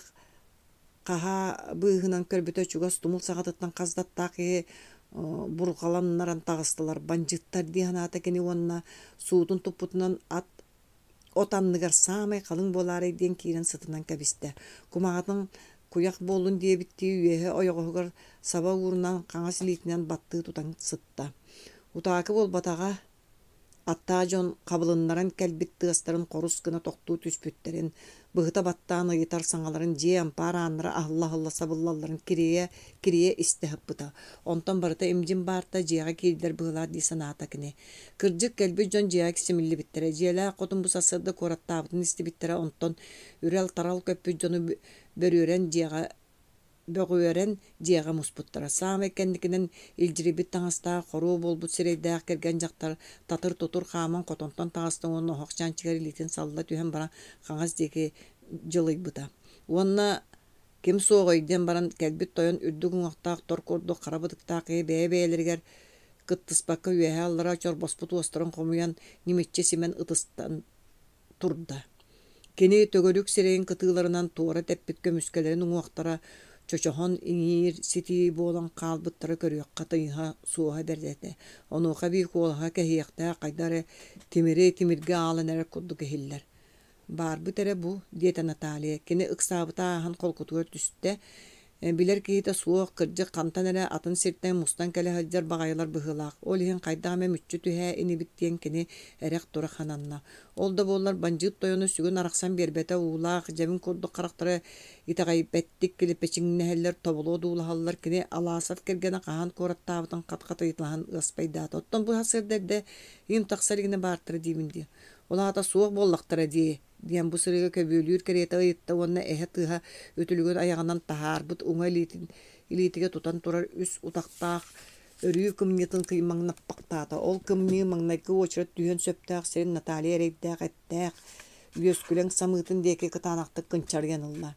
хаһаа быыһынан көрбүтэ чугас тумул саҕатыттан хас да аттаах киһи бурҕаланнаран таҕыстылар. Бандьыыттар дии санаата кини уонна суутун туппутунан ат от анныгар саамай халыҥ буолаарай диэн киирэн сытынан кэбистэ. Кумаҕатын куйах буоллун диэбиттии үөһэ ойоҕоһугар саба уурунан хаҥас илиитинэн баттыы тутан сытта. Утаакы буолбатаҕа. Аттаах дьон хабылыннаран кэлбит тыастарын хорус гына тохтуу түспүттэрин, быһыта баттаан ыйытар саҥаларын дьиэ ампаар ааннара аһылла-аһылла сабыллалларын кирийэ-кирийэ истэ сыппыта. Онтон барыта имдьин баарта дьиэҕэ киирдэр быһыылаах дии санаата кини. Кырдьык, кэлбит дьон дьиэҕэ симиллибиттэрэ. Дьиэлээх хотун бу сарсыарда куораттаабытын истибиттэрэ, онтон үрэл-тарал көппүт дьону бөрүөрэн дьиэҕэ бөҕүөрэн дьиэҕэ муспуттара. Саамай кэнникинэн илдьирийбит таҥастаах, хоруо буолбут сирэйдээх кэргэн дьахтар татыр-тутур хааман хотонтон таҕыста уонна оһох чаанчыгар илиитин салла түһэн баран хаҥас диэки дьылыйбыта. Уонна ким суоҕуй диэн баран кэлбит тойон үрдүк уҥуохтаах тор курдук хара бытыктаах киһи бэйэ-бэйэлэригэр кыттыспакка үөһээ-аллара чорбоспут уостарын хомуйан ньимиччи симэн ытыстан турда. Кини төгүрүк сирэйин кытыыларынан туора тэппит көмүскэлэрин уҥуохтара чочоһон иҥиир ситии буолан хаалбыттара көрүөххэ тыйыһа суоһа бэрт этэ. Онуоха эбии куолаһа кэһиэхтээх хайдах эрэ тимири тимиргэ аалан эрэр курдук иһиллэр. «Баарбыт эрэ бу», диэтэ Наталья. Кини ыксаабыта ааһан холкутугар түстэ. Билэр киһитэ суох, кырдьык, хантан эрэ атын сиртэн мустан кэлэ сылдьар баҕайылар быһыылаах. Ол иһин хайдах эмэ мүччү түһээ инибит диэн кини эрэх-турах сананна. Ол да буоллар бандьыыт тойоно сүгүн арахсан биэрбэтэ уулаах, дьэбин курдук харахтара итэҕэйбэттик килэпэчиҥнэһэллэр, тобулу одуулаһаллар. Кини Аласов кэргэнэ хаһан куораттаабытын хат-хат ыйыталаһан ыаспайдаата. Оттон бу сарсыарда эрдэ им тахса илигинэ баартара диибин дии. Ол аата суох буоллахтара дии диэн бу сырыыга көбүөлүүр кэриэтэ ыйытта уонна эһэ тыаһа үтүлүгүн айаҕынан таһаарбыт уҥа илиитин илиитигэр тутан турар үс утахтаах өрүү кымньыытын кыймаҥнаппахтаата. Ол кымньыы маҥнайгы уочарат түһүөн сөптөөх сирин Наталья эрэйдээх эттээх үөскүлэҥ самыытын диэки кытаанахтык кынчарыйан ылла.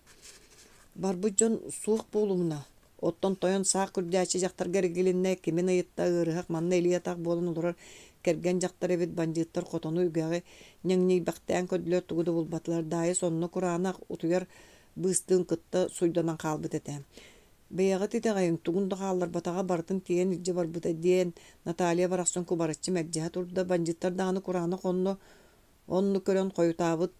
Барбыт дьон суох буолумуна, Оттон тойон саах күрдьээччи дьахтарга эргилиннэ, кимин ыйытта, ыарыһах манна илии-атах буолан олорор кэргэн дьахтар эбит, бандьыыттар хотону үгэҕи ньэҥньийбэхтээн көрдүлэр, тугу да булбатылар. Даайыс онно кураанах утуйар быыстыын кытта суйданан хаалбыт этэ. «Бэйэҕит итэҕэйиҥ, тугун да хаалларбатаҕа, барытын тиэйэн илдьэ барбыта» диэн Наталья барахсан кубарыччы мэлдьэһэ турда. Бандьыыттар даҕаны кураанах онно Оннук көрөн хойутаабыт,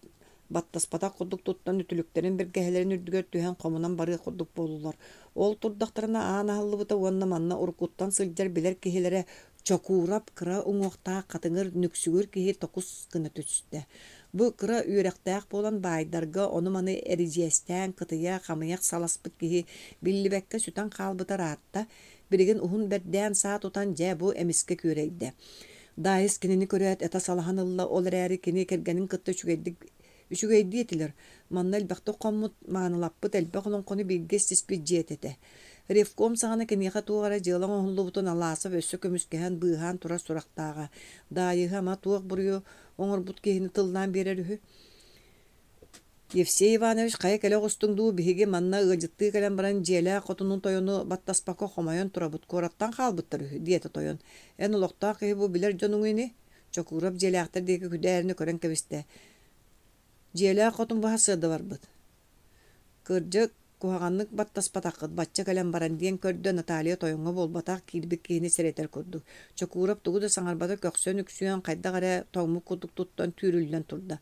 баттаспатах курдук туттан үтүлүктэрин бэргэһэлэрин үрдүгэр түһэн хомунан барыах курдук буоллулар. Ол турдахтарына аан аһыллыбыта уонна манна уруккуттан сылдьар билэр киһилэрэ Чокуурап кыра уҥуохтаах хатыҥыр нүксүгүр киһи токус гына түстэ. Бу кыра үөрэхтээх буолан баайдарга ону-маны эридьиэстээн кытыйа хамыйах саласпыт киһи биллибэккэ сүтэн хаалбыта ыраатта, билигин уһун бэрдээн саа тутан дьэ бу эмискэ күөрэйдэ. Даайыс кинини көрөөт этэ салаһан ылла, ол эрээри кини кэргэнин кытта үчүгэйдик үчүгэйдии этилэр. Манна элбэхтик хоммут, маанылаппыт, элбэх олоҥхону бииргэ истиспит дьиэтэ этэ. Ревком саҕана киниэхэ туох эрэ дьыала оҥоһуллубутун Аласов өссө көмүскэһэн, быыһаан турар сурахтааҕа. Даайыһы ама туох буруйу оҥорбут киһини тыллаан биэрэр үһү? Евсей Иванович хайа кэлэ оҕустуҥ дуу, биһиги манна ыалдьыттыы кэлэн баран дьиэлээх хотунун тойону баттаспакка хомойон турабыт, куораттан хаалбыттар үһү, диэтэ тойон. Эн олохтоох киһи бу билэр дьонуҥ ини? Чокуурап дьиэлээхтэр диэки күдээринэ көрөн кэбистэ. Дьиэлээх хотун баһа сыада барбыт. Кырдьык, куһаҕаннык баттаспатаххыт бачча кэлэн баран диэн көрдө Наталья тойоҥҥо буолбатах киирбит киһини сэрэтэр курдук. Чокуурап тугу да саҥарбата көхсөн үксүөн хайдах эрэ тоҥмут курдук туттан түүрүллэн турда.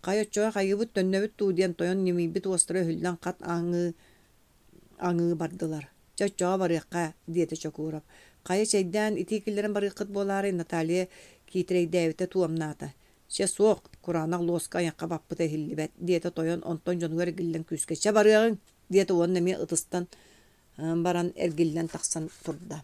Хайа оччоҕо хайыыбыт төннөбүт дуу диэн тойон ньимийбит уостара өһүллэн хат аҥыы аҥыы бардылар. Чэ оччоҕо барыахха, диэтэ Чокуурап. Хайа чэйдээн итии киллэрэн барыаххыт буолаарай Наталья киитэрэйдээбитэ туомнаата. Чэ суох, кураанах луоска айахха баппыта иһиллибэт, диэтэ тойон онтон дьонугар эргиллэн күүскэ чэ барыаҕыҥ, диэтэ уонна эмиэ ытыстан баран эргиллэн тахсан турда.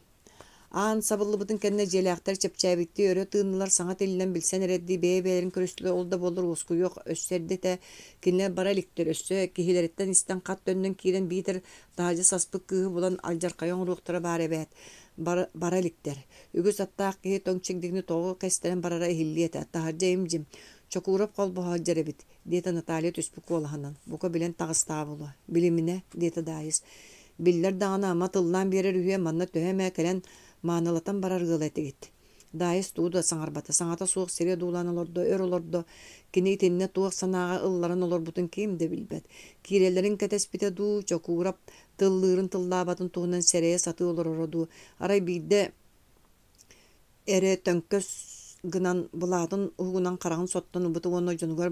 Аан сабыллыбытын кэннэ дьиэлээхтэр чэпчээбиттии өрө тыыннылар, саҥа тиллэн билсэн эрэрдии бэйэ-бэйэлэрин көрүстүлэр, ол да буоллар уоскуйуох өссө эрдэ этэ, кинилэр бара иликтэр, өссө киһилэриттэн истэн хат төннөн киирэн биитэр таһырдьа саспыт кыыһы булан алдьархайы оҥоруохтара баар эбээт, бара, бара иликтэр. Үгүс аттаах киһи тоҥ чигдигини тоҕо кэстэрэн барара иһиллиэ этэ, таһырдьа им-дьим, Чокуурап холбоһо сылдьар эбит, диэтэ Наталья түспүт куолаһынан, бука билэн таҕыстаҕа буолуо. Билиминэ, диэтэ Даайыс. Биллэр даҕаны ама тыллаан биэрэр үһүө манна төһө эмэ кэлэн маанылатан барар ыала этигит. Даайыс тугу да саҥарбата, саҥата суох сири одуулаан олордо, өр олордо. Кини итиннэ туох санааҕа ылларан олорбутун ким да билбэт. Киирэллэрин кэтэспитэ дуу, Чокуурап тыллыырын тыллаабатын туһунан сэрэйэ сатыы олороро дуу, арай биирдэ эрэ төҥкөс гынан былаатын уһугунан хараҕын соттон ылбыта уонна дьонугар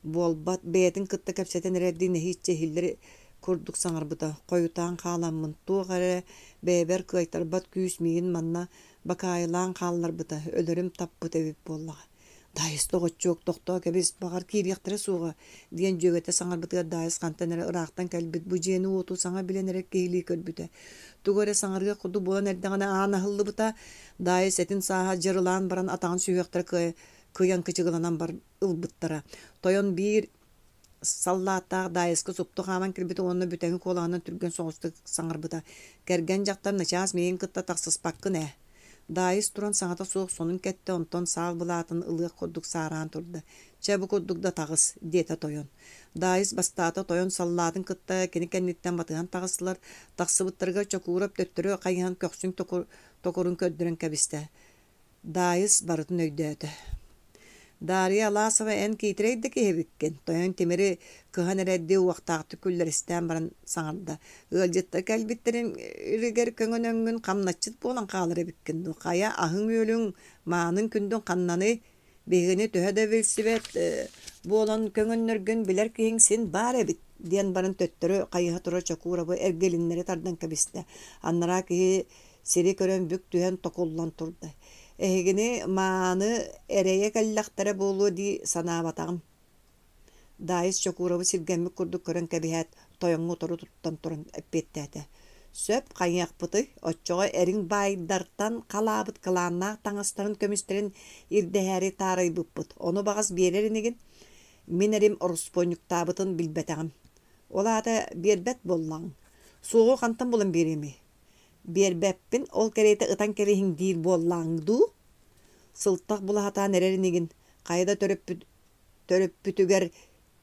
буолбат бэйэтин кытта кэпсэтэн эрэрдии нэһииччэ иһиллэр курдук саҥарбыта: «Хойутаан хааламмын, туох эрэ бэйэбэр кыайтарбат күүс миигин манна Бакаайылаан хаалларбыта, өлөрүм таппыт эбит буоллаҕа. Даайыс доҕоччуок, тохтоо кэбис, баҕар киириэхтэрэ суоҕа, диэн дьүөгэтэ саҥарбытыгар Даайыс хантан эрэ ыраахтан кэлбит бу дьиэни-уоту саҥа билэн эрэр киһилии көрбүтэ. Тугу эрэ саҥарыах курдук буолан эрдэҕинэ аан аһыллыбыта, Даайыс этин сааһа дьырылаан баран атаҕын сүһүөхтэрэ кыайан кычыгыланан бар ылбыттара. Тойон биир саллааттаах Даайыска супту хааман кэлбитэ уонна бүтэҥи куолаһынан түргэн соҕустук саҥарбыта: «Кэргэн дьахтар начаас миигин кытта тахсыспаккын ээ». Даайыс туран саҥата суох сонун кэттэ, онтон саал былаатын ылыах курдук саараан турда: «Чэ, бу курдук да таҕыс», диэтэ тойон. Даайыс бастаата тойон саллаатын кытта кини кэнниттэн батыһан таҕыстылар. Тахсыбыттарыгар Чокуурап төттөрү хайыһан көхсүн токурун көрдөрөн кэбистэ. Даайыс барытын өйдөөтө. Дарья Аласова эн киитирэй да киһи эбиккин, тойон тимири кыһан эрэрдии уохтаахтык күллэристээн баран саҥарда. Ыалдьыттар кэлбиттэригэр көҥөнөҥҥүн хамначчыт буолан хаалар эбиккин дуу, хайа аһыҥ-үөлүҥ, мааныҥ күндүҥ ханнаный? Биһигини төһө да билсибэт буолан көҥөннөргүн билэр киһиҥ син баар эбит, диэн баран төттөрү хайыһа турар Чокуурабы эргилиннэри тардан кэбистэ. Анараа киһи сири көрөн бүк түһэн токуллан турда. Эһигини мааны эрэйэ кэллэхтэрэ буолуо дии санаабатаҕым. Даайыс Чокууровы сиргэммит курдук көрөн кэбиһээт, тойоҥҥо утары туттан туран эппиэттээтэ: «Сөп, хайыахпытый, оччоҕо эриҥ баайдартан халаабыт кылааннаах таҥастарын көмүстэрин ирдэһээри таарыйбыппыт, ону баҕас биэрэр инигин? Мин эрим ороспуонньуктаабытын билбэтэҕим. Ол аата биэрбэт буоллаҕыҥ. Суоҕу хантан булан биэриэмий? Биэрбэппин, ол кэриэтэ ытан кэбиһиҥ диир буоллааҥ дуу? Сылтах була сатаан эрэр инигин, хайа да төрөппүт төрөппүтүгэр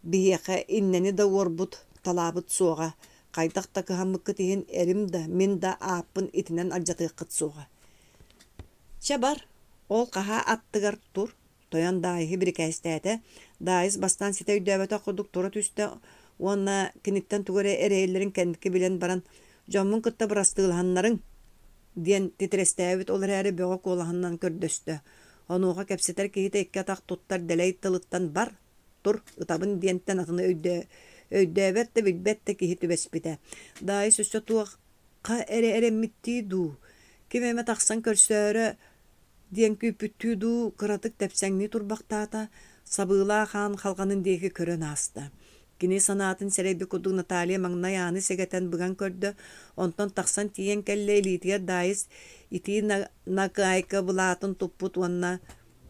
биһиэхэ иннэни да уорбут, талаабыт суоҕа, хайдах да кыһаммыккыт иһин эрим да, мин да ааппын итинэн алдьатыаххыт суоҕа. Чэ бар, ол хаһаа аттыгар тур, Тойон Даайыһы бирикээстээтэ. Даайыс бастаан ситэ өйдөөбөтөх курдук тура түстэ уонна киниттэн тугу эрэ эрэйэллэрин кэнники билэн баран «Дьоммун кытта бырастыылаһаннарыҥ» диэн титирэстээбит, ол эрээри бөҕө куолаһынан көрдөстө. Онуоха кэпсэтэр киһитэ икки атах туттар дэлэй тылыттан «бар, тур, ытабын» диэнтэн атыны өйдөөбөт да билбэт да киһи түбэспитэ. Даайыс өссө туохха эрэ эрэммиттии дуу, ким эмэ тахсан көрсөөрө диэн күүппүттүү дуу, кыратык тэпсэҥнии турбахтаата, сабыылаах аан халҕанын диэки көрөн ааста. Кини санаатын сэрэйбит курдук Наталья маҥнай ааны сэгэтэн быган көрдө, онтон тахсан тиийэн кэллэ илиитигэр Даайыс итии накыайка былаатын туппут уонна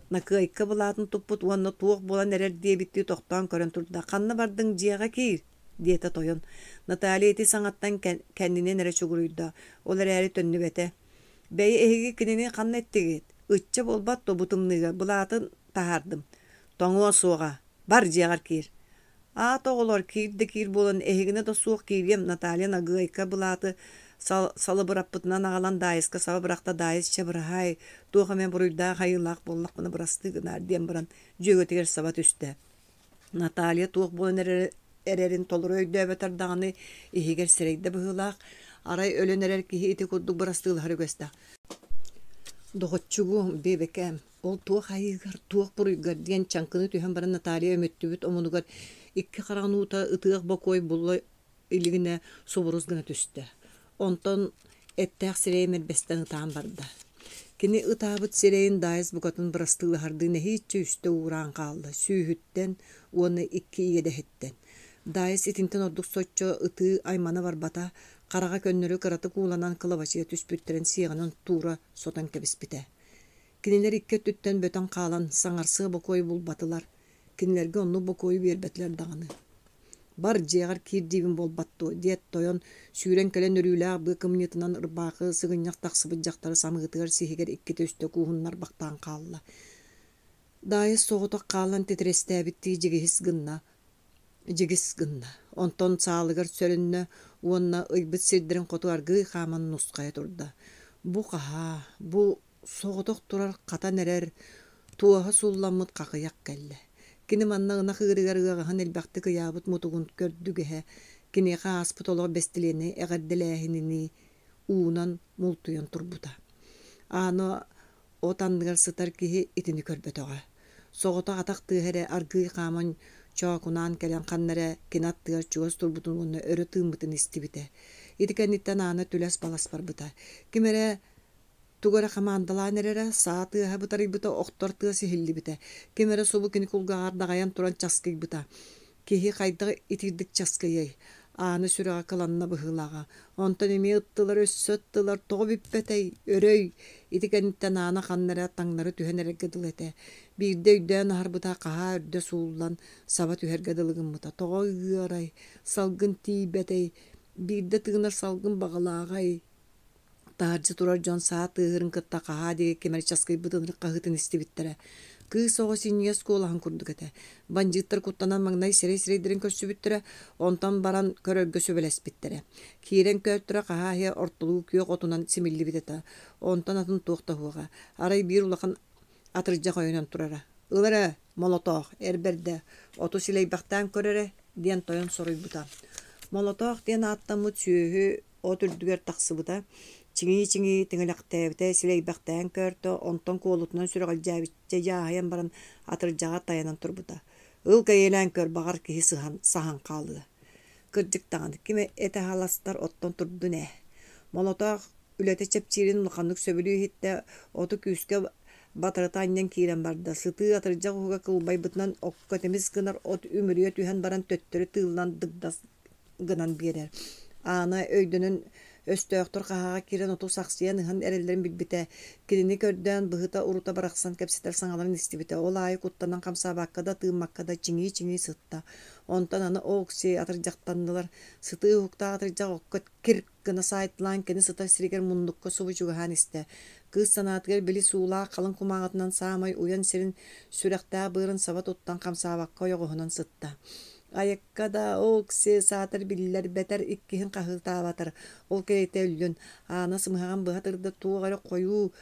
накыайка былаатын туппут уонна туох буолан эрэр диэбиттии тохтоон көрөн турда. «Ханна бардыҥ, дьиэҕэ киир!» диэтэ тойон. Наталья ити саҥаттан кэннинэн эрэ чугуруйда, ол эрээри төннүбэтэ. Бэйи эһиги кинини ханна эттигит? Ычча буолбат дуо бу тымныыга былаатын таһаардым. Тоҥуо суоҕа. Бар дьиэҕэр киир. Аат оҕолор киир да киир буолан эһигини да суох киириэм Наталья Нагыайка былааты салыбыраппытынан аҕалан Даайыска саба бырахта Даайыс чэ быраһаай туох эмэ буруйдаах айыылаах буоллахпына бырастыы гынаар диэн баран дьүөгэтигэр саба түстэ. Наталья туох буолан эрэрин толору өйдөөбөтөр даҕаны иһигэр сэрэйдэ быһыылаах, арай өлөн эрэр киһи ити курдук бырастыылаһар үгэстээх. «Доҕоччугуом, биэбэкээм, ол туох айыыгар, туох буруйгар» диэн чаҥкыны түһэн баран Наталья өмүттүбүт омунугар икки хараҕын уута ытыах бокуой булла илигинэ субурус гына түстэ. Онтон эттээх сирэйэ мэрбэстэн ытаан барда. Кини ытаабыт сирэйин Даайыс букатын бырастыылаһардыы нэһииччэ үстэ уураан хаалла, сүүһүттэн уонна икки иэдэһиттэн. Даайыс итинтэн ордук соччо ытыы аймана барбата, хараҕа көннөрү кыратык ууланан кылабачыйа түспүттэрин сиэҕинэн туура сотон кэбиспитэ. Кинилэр икки өттүттэн бөтөн хаалан, саҥарсыа бокуойу булбатылар. Кинилэргэ оннук бокуойу биэрбэтилэр даҕаны. «Бар, дьиэҕэр киир диибин буолбат дуо?» диэт тойон сүүрэн кэлэн өрүүлээх быа кымньыытынан ырбаахы сыгынньах тахсыбыт дьахтары самыытыгар сиһигэр иккитэ-үстэ кууһуннарбахтаан хаалла. Даайыс соҕотох хаалан титирэстээбиттии дьигиһис гынна, дьигис гынна. Онтон саалыгар сөрөннө уонна ыйбыт сирдэрин хоту аргыый хааман нусхайа турда. Бу хаһаа, бу Соҕотох турар хатан эрэр, туоһа сулламмыт хахыйах кэллэ. Кини манна ынах ыырыгар ыаҕаһын элбэхтик ыйаабыт мутугун көрдүгэһэ, киниэхэ ааспыт олох бэстилиэнэй эҕэрдэлээһининии уунан мултуйан турбута. Аана от анныгар сытар киһи итини көрбөтөҕө. Соҕотох атах тыаһа эрэ аргыый хааман чоокунаан кэлэн ханна эрэ кини аттыгар чугас турбутун уонна өрө тыыммытын истибитэ. Ити кэнниттэн Аана түлэс-балас барбыта. Ким эрэ. Тугу эрэ хамаандалаан эрэрэ, саа тыаһа бытарыйбыта, охтор тыас иһиллибитэ. Ким эрэ субу кини кулгааҕар даҕайан туран часкыйбыта. Киһи хайдах итирдик часкыйыай? Аана сүрэҕэ кыланна быһыылааҕа. Онтон эмиэ ыттылар, өссө ыттылар, тоҕо бүппэтэй, өрөй! Ити кэнниттэн Аана ханна эрэ таҥнары түһэн эрэргэ дылы этэ. Биирдэ өйдөөн аһарбыта хаһаа үрдэ сууллан, саба түһэргэ дылы гыммыта. Тоҕо ыарай, салгын тиийбэтэй, биирдэ тыынар салгын баҕалааҕай? Таһырдьа турар дьон саа тыаһырын кытта хаһаа диэки ким эрэ часкыйбыт ынырык хаһыытын истибиттэрэ. Кыыс оҕо синньигэс куолаһын курдук этэ. Бандьыыттар куттанан маҥнай сирэй-сирэйдэрин көрсүбүттэрэ, онтон баран көрөргө сүбэлэспиттэрэ. Киирэн көөртөрө хаһаа иһэ ортолуу күөх отунан симиллибит этэ. Онтон атын туох да суоҕа. Арай биир улахан атырдьах өйөнөн турара. «Ыл эрэ, Молотоох, эр бэрдэ, оту силэйбэхтээн көр эрэ» диэн тойон соруйбута. Молотоох диэн ааттаммыт сүөһү от үрдүгэр тахсыбыта, чиҥии-чиҥии тиҥилэхтээбитэ, силэйбэхтээн көөртө, онтон куолутунан сүрэҕэлдьээбиччэ дьааһыйан баран атырдьаҕар тайанан турбута. Ыл кэйиэлээн көр, баҕар киһи сыһан, саһан хаалыа. Кырдьык даҕаны, ким этэ аһаластар оттон турдун ээ. Молотоох үлэтэ чэпчиирин улаханнык сөбүлүү иһиттэ, оту күүскэ батарыта анньан киирэн барда. Сытыы атырдьах уһуга кылбайбытынан окко тимис гынар от үмүрүйэ түһэн баран төттөрү тыыллан дыгдас гынан биэрэр. Аана өйдөнөн өстөөхтөр хаһааҕа киирэн оту сахсыйан ыһан эрэллэрин билбитэ. Кинини көрдөөн быһыта-урута барахсан кэпсэтэр саҥаларын истибитэ. Ол аайы куттанан хамсаабакка да, тыыммакка да чиҥии-чиҥии сытта. Онтон аны Окси атырдьахтаннылар. Сытыы уһуктаах атырдьах окко кир гына саайтылаан кини сытар сиригэр муннукка субу чугаһаан истэ. Кыыс санаатыгар били суулаах халыҥ кумааҕытынан саамай уйан сирин сүрэхтээх быарын саба туттан хамсаабакка ойоҕоһунан сытта. Айакка да Окси саатар биллэрбэтэр иккиһин хаһыытаабатар, ол кэриэтэ өллүн. Аана сымыһаҕын быһа тырда туох эрэ хойуу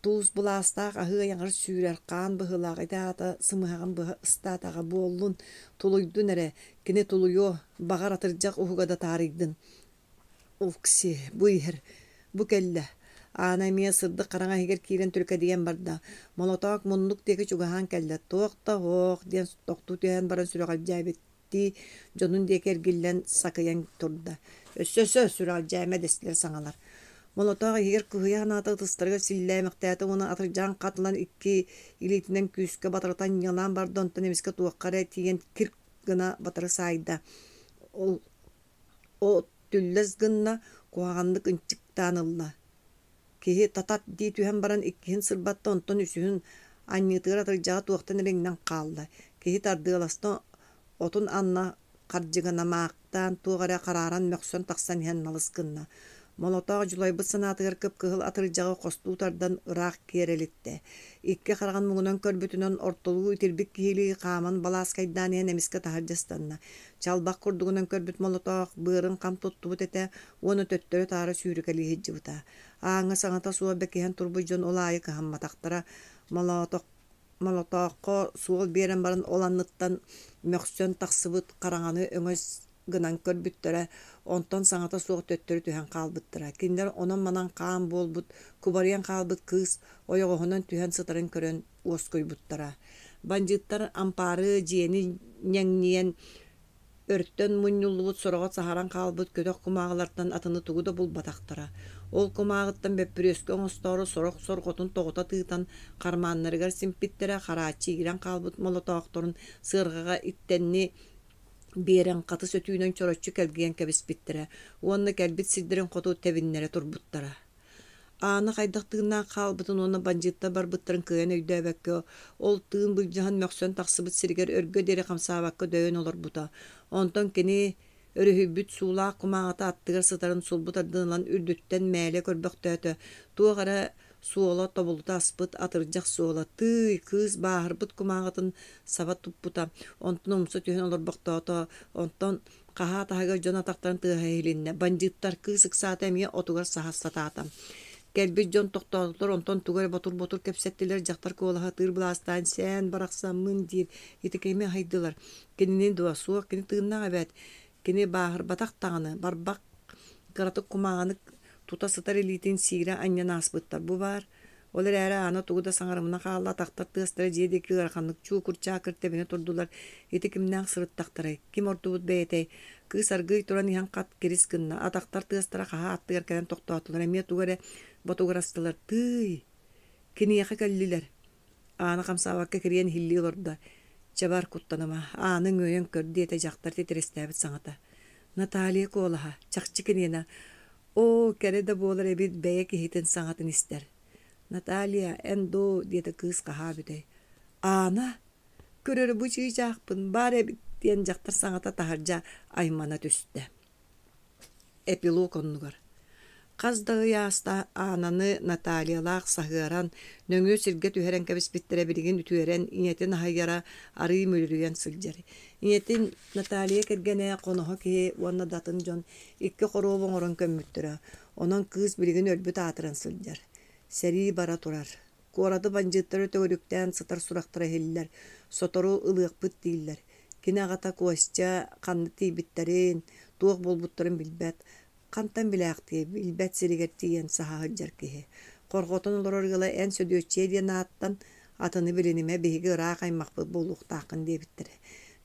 туус былаастаах аһыы айаҕар сүүрэр хаан быһыылаах ити аата сымыһаҕын быһа ыстаатаҕа буоллун, тулуйдун эрэ, кини тулуйуо, баҕар атырдьах уһуга да таарыйдын. Окси, бу иһэр, бу кэллэ. Аана эмиэ сырдык хараҥа иһигэр киирэн түркэдийэн барда. Молотоок муннук диэки чугаһаан кэллэ. Туох да оһох диэн тохтуу түһэн баран сүрэҕэлдьээбиттии дьонун диэки эргиллэн сакыйан турда. Өссө өссө сүрэҕэлдьээмэ дэстилэр саҥалар. Молотоох иһигэр кыһыйа санаата ытыстарыгар силлээмэхтээтэ уонна атырдьаҕын хат ылан икки илиитинэн күүскэ батарытан ньылаан барда, онтон эмискэ туохха эрэ тиийэн кирк гына батары саайда. Ол От түллэс гынна, куһаҕаннык ынчыктаан ылла. Киһи татат дии түһэн баран иккиһин сырбатта, онтон үсүһүн анньыытыгар атырдьаҕа туохтан эрэ иҥнэн хаалла. Киһи тардыаласта, отун анна хардьыгынамаахтаан туох эрэ харааран мөхсөн тахсан иһэн налыс гынна. Молотоох дьулайбыт санаатыгар кып-кыһыл атырдьаҕы хостуу тардан ыраах киэр элиттэ. Икки хараҕын муҥунан көрбүтүнэн ортолуу итирбит киһилии хааман балааскайдаан иһэн эмискэ таһырдьа ыстанна. Чалбах курдугунан көрбүт молотоох быарын хам туттубут этэ уонна төттөрү-таары сүүрүкэлии сылдьыбыта. Ааҥҥа саҥата суох бэкиһэн турбут дьон ол аайы кыһамматахтара. Молотох Молотооххо суол биэрэн баран ол анныттан мөхсөн тахсыбыт хараҥаны өҥөс гынан көрбүттэрэ, онтон саҥата суох төттөрү түһэн хаалбыттара. Кинилэр онон-манан хаан буолбут, кубарыйан хаалбыт кыыс ойоҕоһунан түһэн сытарын көрөн уоскуйбуттара. Бандьыыттар ампаары дьиэни ньэҥнийэн Өртөн мунньуллубут сороҕо саһаран хаалбыт көтөх кумааҕылартан атыны тугу да булбатахтара. Ол кумааҕыттан бөппүрүөскэ оҥостоору сорох сорҕотун тоҕута тыытан хармааннарыгар симпиттэрэ, харааччы иирэн хаалбыт молотоохторун сыарҕаҕа иттэнни биэрэн хатыс өтүүнэн чороччу кэлгийэн кэбиспиттэрэ уонна кэлбит сирдэрин хоту тэбиннэрэ турбуттара. Аана хайдах тыыннаах хаалбытын уонна бандьыыттар барбыттарын кыайан өйдөөбөккө, ол тыын былдьаһан мөхсөн тахсыбыт сиригэр өргө диэри хамсаабакка дөйөн олорбута. Онтон кини өрүһүйбүт суулаах кумааҕыта аттыгар сытарын сулбу тардан ылан үрдүттэн мээлэ көрбөхтөөтө, туох эрэ суола тобулута аспыт атырдьах суола, тыый, кыыс бааһырбыт кумааҕытын саба туппута, онтон умса түһэн олорбохтоото, онтон Хаһаа таһыгар дьон атахтарын тыаһа иһилиннэ. Бандьыыттар кыыс ыксаата эмиэ отугар саһа сатаата. Кэлбит дьон тохтоотулар, онтон тугу эрэ ботур-ботур кэпсэттилэр, дьахтар куолаһа тыыр былаастаан сээн барахсаммын диир. Ити кими аһыйдылар? Кинини дуо? Суох, кини тыыннаах эбээт. Кини бааһырбатах даҕаны, барбах кыратык кумааҕыны тута сытар илиитин сиирэ анньан ааспыттар. Бу баар Ол эрээри Аана тугу да саҥарымына хаалла, атахтар тыастара дьиэ диэки ыараханнык чуукур-чаакыр тэбинэ турдулар. Ити кимнээх сырыттахтарай? Ким ордубут бэйэтэй? Кыыс аргыый туран иһэн хат кирис гынна. Атахтар тыастара хаһаа аттыгар кэлэн тохтоотулар. Эмиэ тугу эрэ Ботугурастылар тыый! Киниэхэ кэллилэр. Аана хамсаабакка кириэн иһиллии олордо. Чэ бар, куттаныма, ааны үҥүөйэн көр, диэтэ дьахтар титирэстээбит саҥата. Наталья куолаһа, чахчы киниэнэ. Оо, кэрэ да буолар эбит бэйэ киһитин саҥатын истэр. Наталья, эн дуу, диэтэ кыыс хаһаа бүтэй. Аана, көрөрү бу чыычаахпын, баар эбит, диэн дьахтар саҥата таһырдьа аймана түстэ. Эпилог оннугар Хас да ый ааста Аананы Натальялаах саһыаран, нөҥүө сиргэ түһэрэн кэбиспиттэрэ билигин үтүөрэн, ийэтин аһыйара арыый мүлүрүйэн сылдьар. Ийэтин Наталья кэргэнэ хоноһо киһи уонна да атын дьон икки хоруоп оҥорон көммүттэрэ. Онон кыыс билигин өлбүт аатыран сылдьар. Сэрии бара турар. Куораты бандьыыттары төгүрүктээн сытар сурахтара иһиллэр, сотору ылыахпыт дииллэр. Кини аҕата Костя ханна тиийбиттэрин, туох буолбуттарын билбэт. Хантан билээхтиэй, билбэт сиригэр тиийэн саһа сылдьар киһи. Хорҕотон олорор ыала эн Сөдүөччүйэ диэн ааттан, атыны билинимэ, биһиги ыраах аймахпыт буолуохтааххын диэбиттэрэ.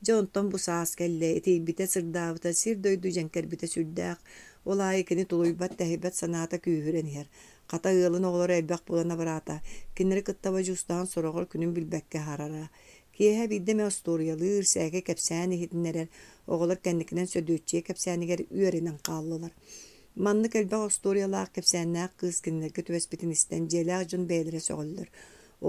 Дьэ онтон бу саас кэллэ, итийбитэ, сырдаабыта, сир-дойду дьэҥкэрбитэ сүрдээх. Ол аайы кини тулуйбат-тэһийбэт санаата күүһүрэн иһэр. Хата ыалын оҕолоро элбэх буолан абыраата, кинилэри кытта бодьуустаһан сороҕор күнүн билбэккэ аһарара. Киэһэ биирдэ эмэ остуоруйалыыр, сээкэй кэпсээн иһитиннэрэр, оҕолор кэнникинэн Сөдүөччүйэ кэпсээнигэр үөрэнэн хааллылар. Маннык элбэх остуоруйалаах кэпсээннээх кыыс кинилэргэ түбэспитин истэн дьиэлээх дьон бэйэлэрэ сөҕөллөр.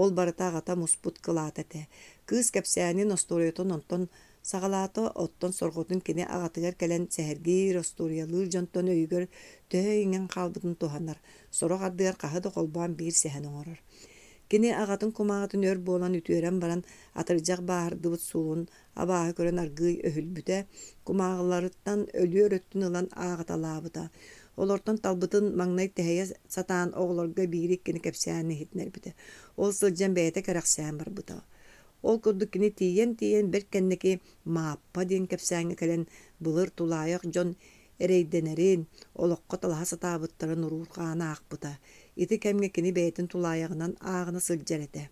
Ол барыта аҕата муспут кылаата этэ. Кыыс кэпсээнин остуоруйатын онтон Саҕалаата, оттон сорҕотун кини аҕатыгар кэлэн сэһэргиир, остуоруйалыыр дьонтон өйүгэр төһө иҥэн хаалбытын туһанар, сорох ардыгар хаһы да холбоон биир сэһэн оҥорор. Кини аҕатын кумааҕытын өр буолан үтүөрэн баран, атырдьах бааһырдыбыт суолун абааһы көрөн аргыый өһүлбүтэ, кумааҕыларыттан өлүөр өттүн ылан ааҕыталаабыта. Олортон талбытын маҥнай тэһийэ сатаан оҕолорго биири-иккини кэпсээн иһитиннэрбитэ. Ол сылдьан бэйэтэ кэрэхсээн барбыта. Ол курдук кини тиийэн-тиийэн бэрт кэнники Мааппа диэн кэпсээҥҥэ кэлэн былыр тулаайах дьон эрэйдэнэрин, олоххо талаһа сатаабыттарын уруурҕаан аахпыта. Ити кэмҥэ кини бэйэтин тулаайаҕынан ааҕына сылдьар этэ.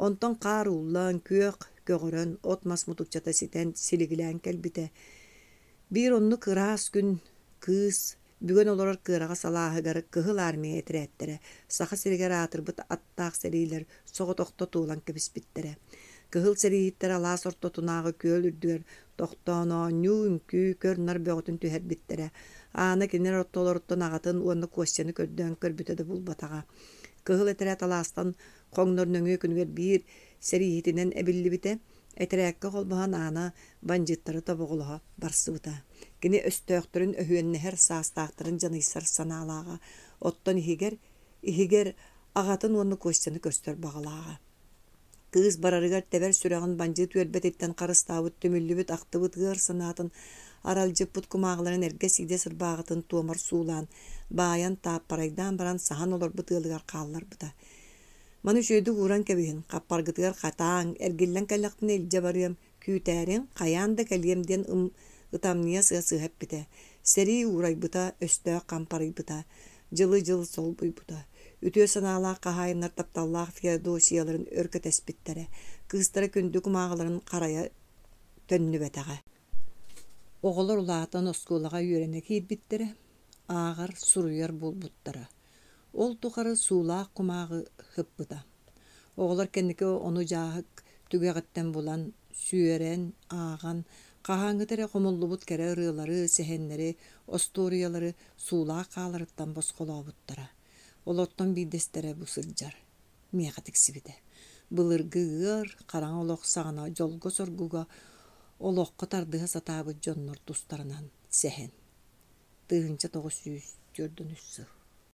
Онтон хаар ууллан, күөх көҕөрөн, от-мас мутукчата ситэн силигилээн кэлбитэ. Биир оннук ыраас күн кыыс Бүгэн олорор кыараҕас алааһыгар Кыһыл Армия этэрээттэрэ Саха сиригэр аатырбыт аттаах сэриилэр соҕотохто туолан кэбиспиттэрэ. Кыһыл сэрииһиттэр алаас ортотунааҕы күөл үрдүгэр тохтоон оонньуу, үҥкүү, көр-нар бөҕөтүн түһэрбиттэрэ. Аана кинилэр ортолоруттан аҕатын уонна Костяны көрдөөн көрбүтэ да булбатаҕа. Кыһыл этэрээт алаастан хоҥнор нөҥүө күнүгэр биир сэрииһитинэн эбиллибитэ. Этэрээккэ холбоһон Аана бандьыыттары тобоҕолоһо барсыбыта. Кини өстөөхтөрүн өһүөннэһэр саастаахтарын дьаныйсар санаалааҕа, оттон иһигэр, иһигэр аҕатын уонна Костяны көрсөр баҕалааҕа. Кыыс барарыгар тэбэр сүрэҕин бандьыыт үөрбэтиттэн харыстаабыт түмүллүбүт ахтыбыт ыар санаатын аралдьыппыт кумааҕыларын эргэ сиидэс ырбааҕытын туомар суулаан, баайан, тааппарайдаан баран саһан олорбут ыалыгар хаалларбыта. Маны үчүгэйдик ууран кэбиһин, хаппаргытыгар хатааҥ, эргиллэн кэллэхпинэ илдьэ барыам, күүтээриҥ, хайаан да кэлиэм диэн ытамньыйа сыа-сыһа эппитэ. Сэрии уурайбыта, өстөөх хампарыйбыта, дьылы-дьыл солбуйбута. Үтүө санаалаах хаһаайыннар тапталлаах Феодосияларын өр кэтэспиттэрэ, кыыстара күндү кумааҕыларын харайа төннүбэтэҕэ. Оҕолор улаатан оскуолаҕа үөрэнэ киирбиттэрэ, ааҕар, суруйар буолбуттара. Ол тухары суулаах кумааҕы ыппыта. Оҕолор кэнники ону дьааһык түгэҕиттэн булан, сүөрэн, ааҕан, хаһааҥҥыта эрэ хомуллубут кэрэ ырыалары, сэһэннэри, остуоруйалары суулаах хааларыттан босхолообуттара. Олортон биирдэстэрэ бу сылдьар. Миэхэ тиксибитэ. Былыргы ыар, хараҥа олох саҕана дьолго-соргуга олоххо тардыһа сатаабыт дьоннор тустарынан сэһэн. 1943 сыл.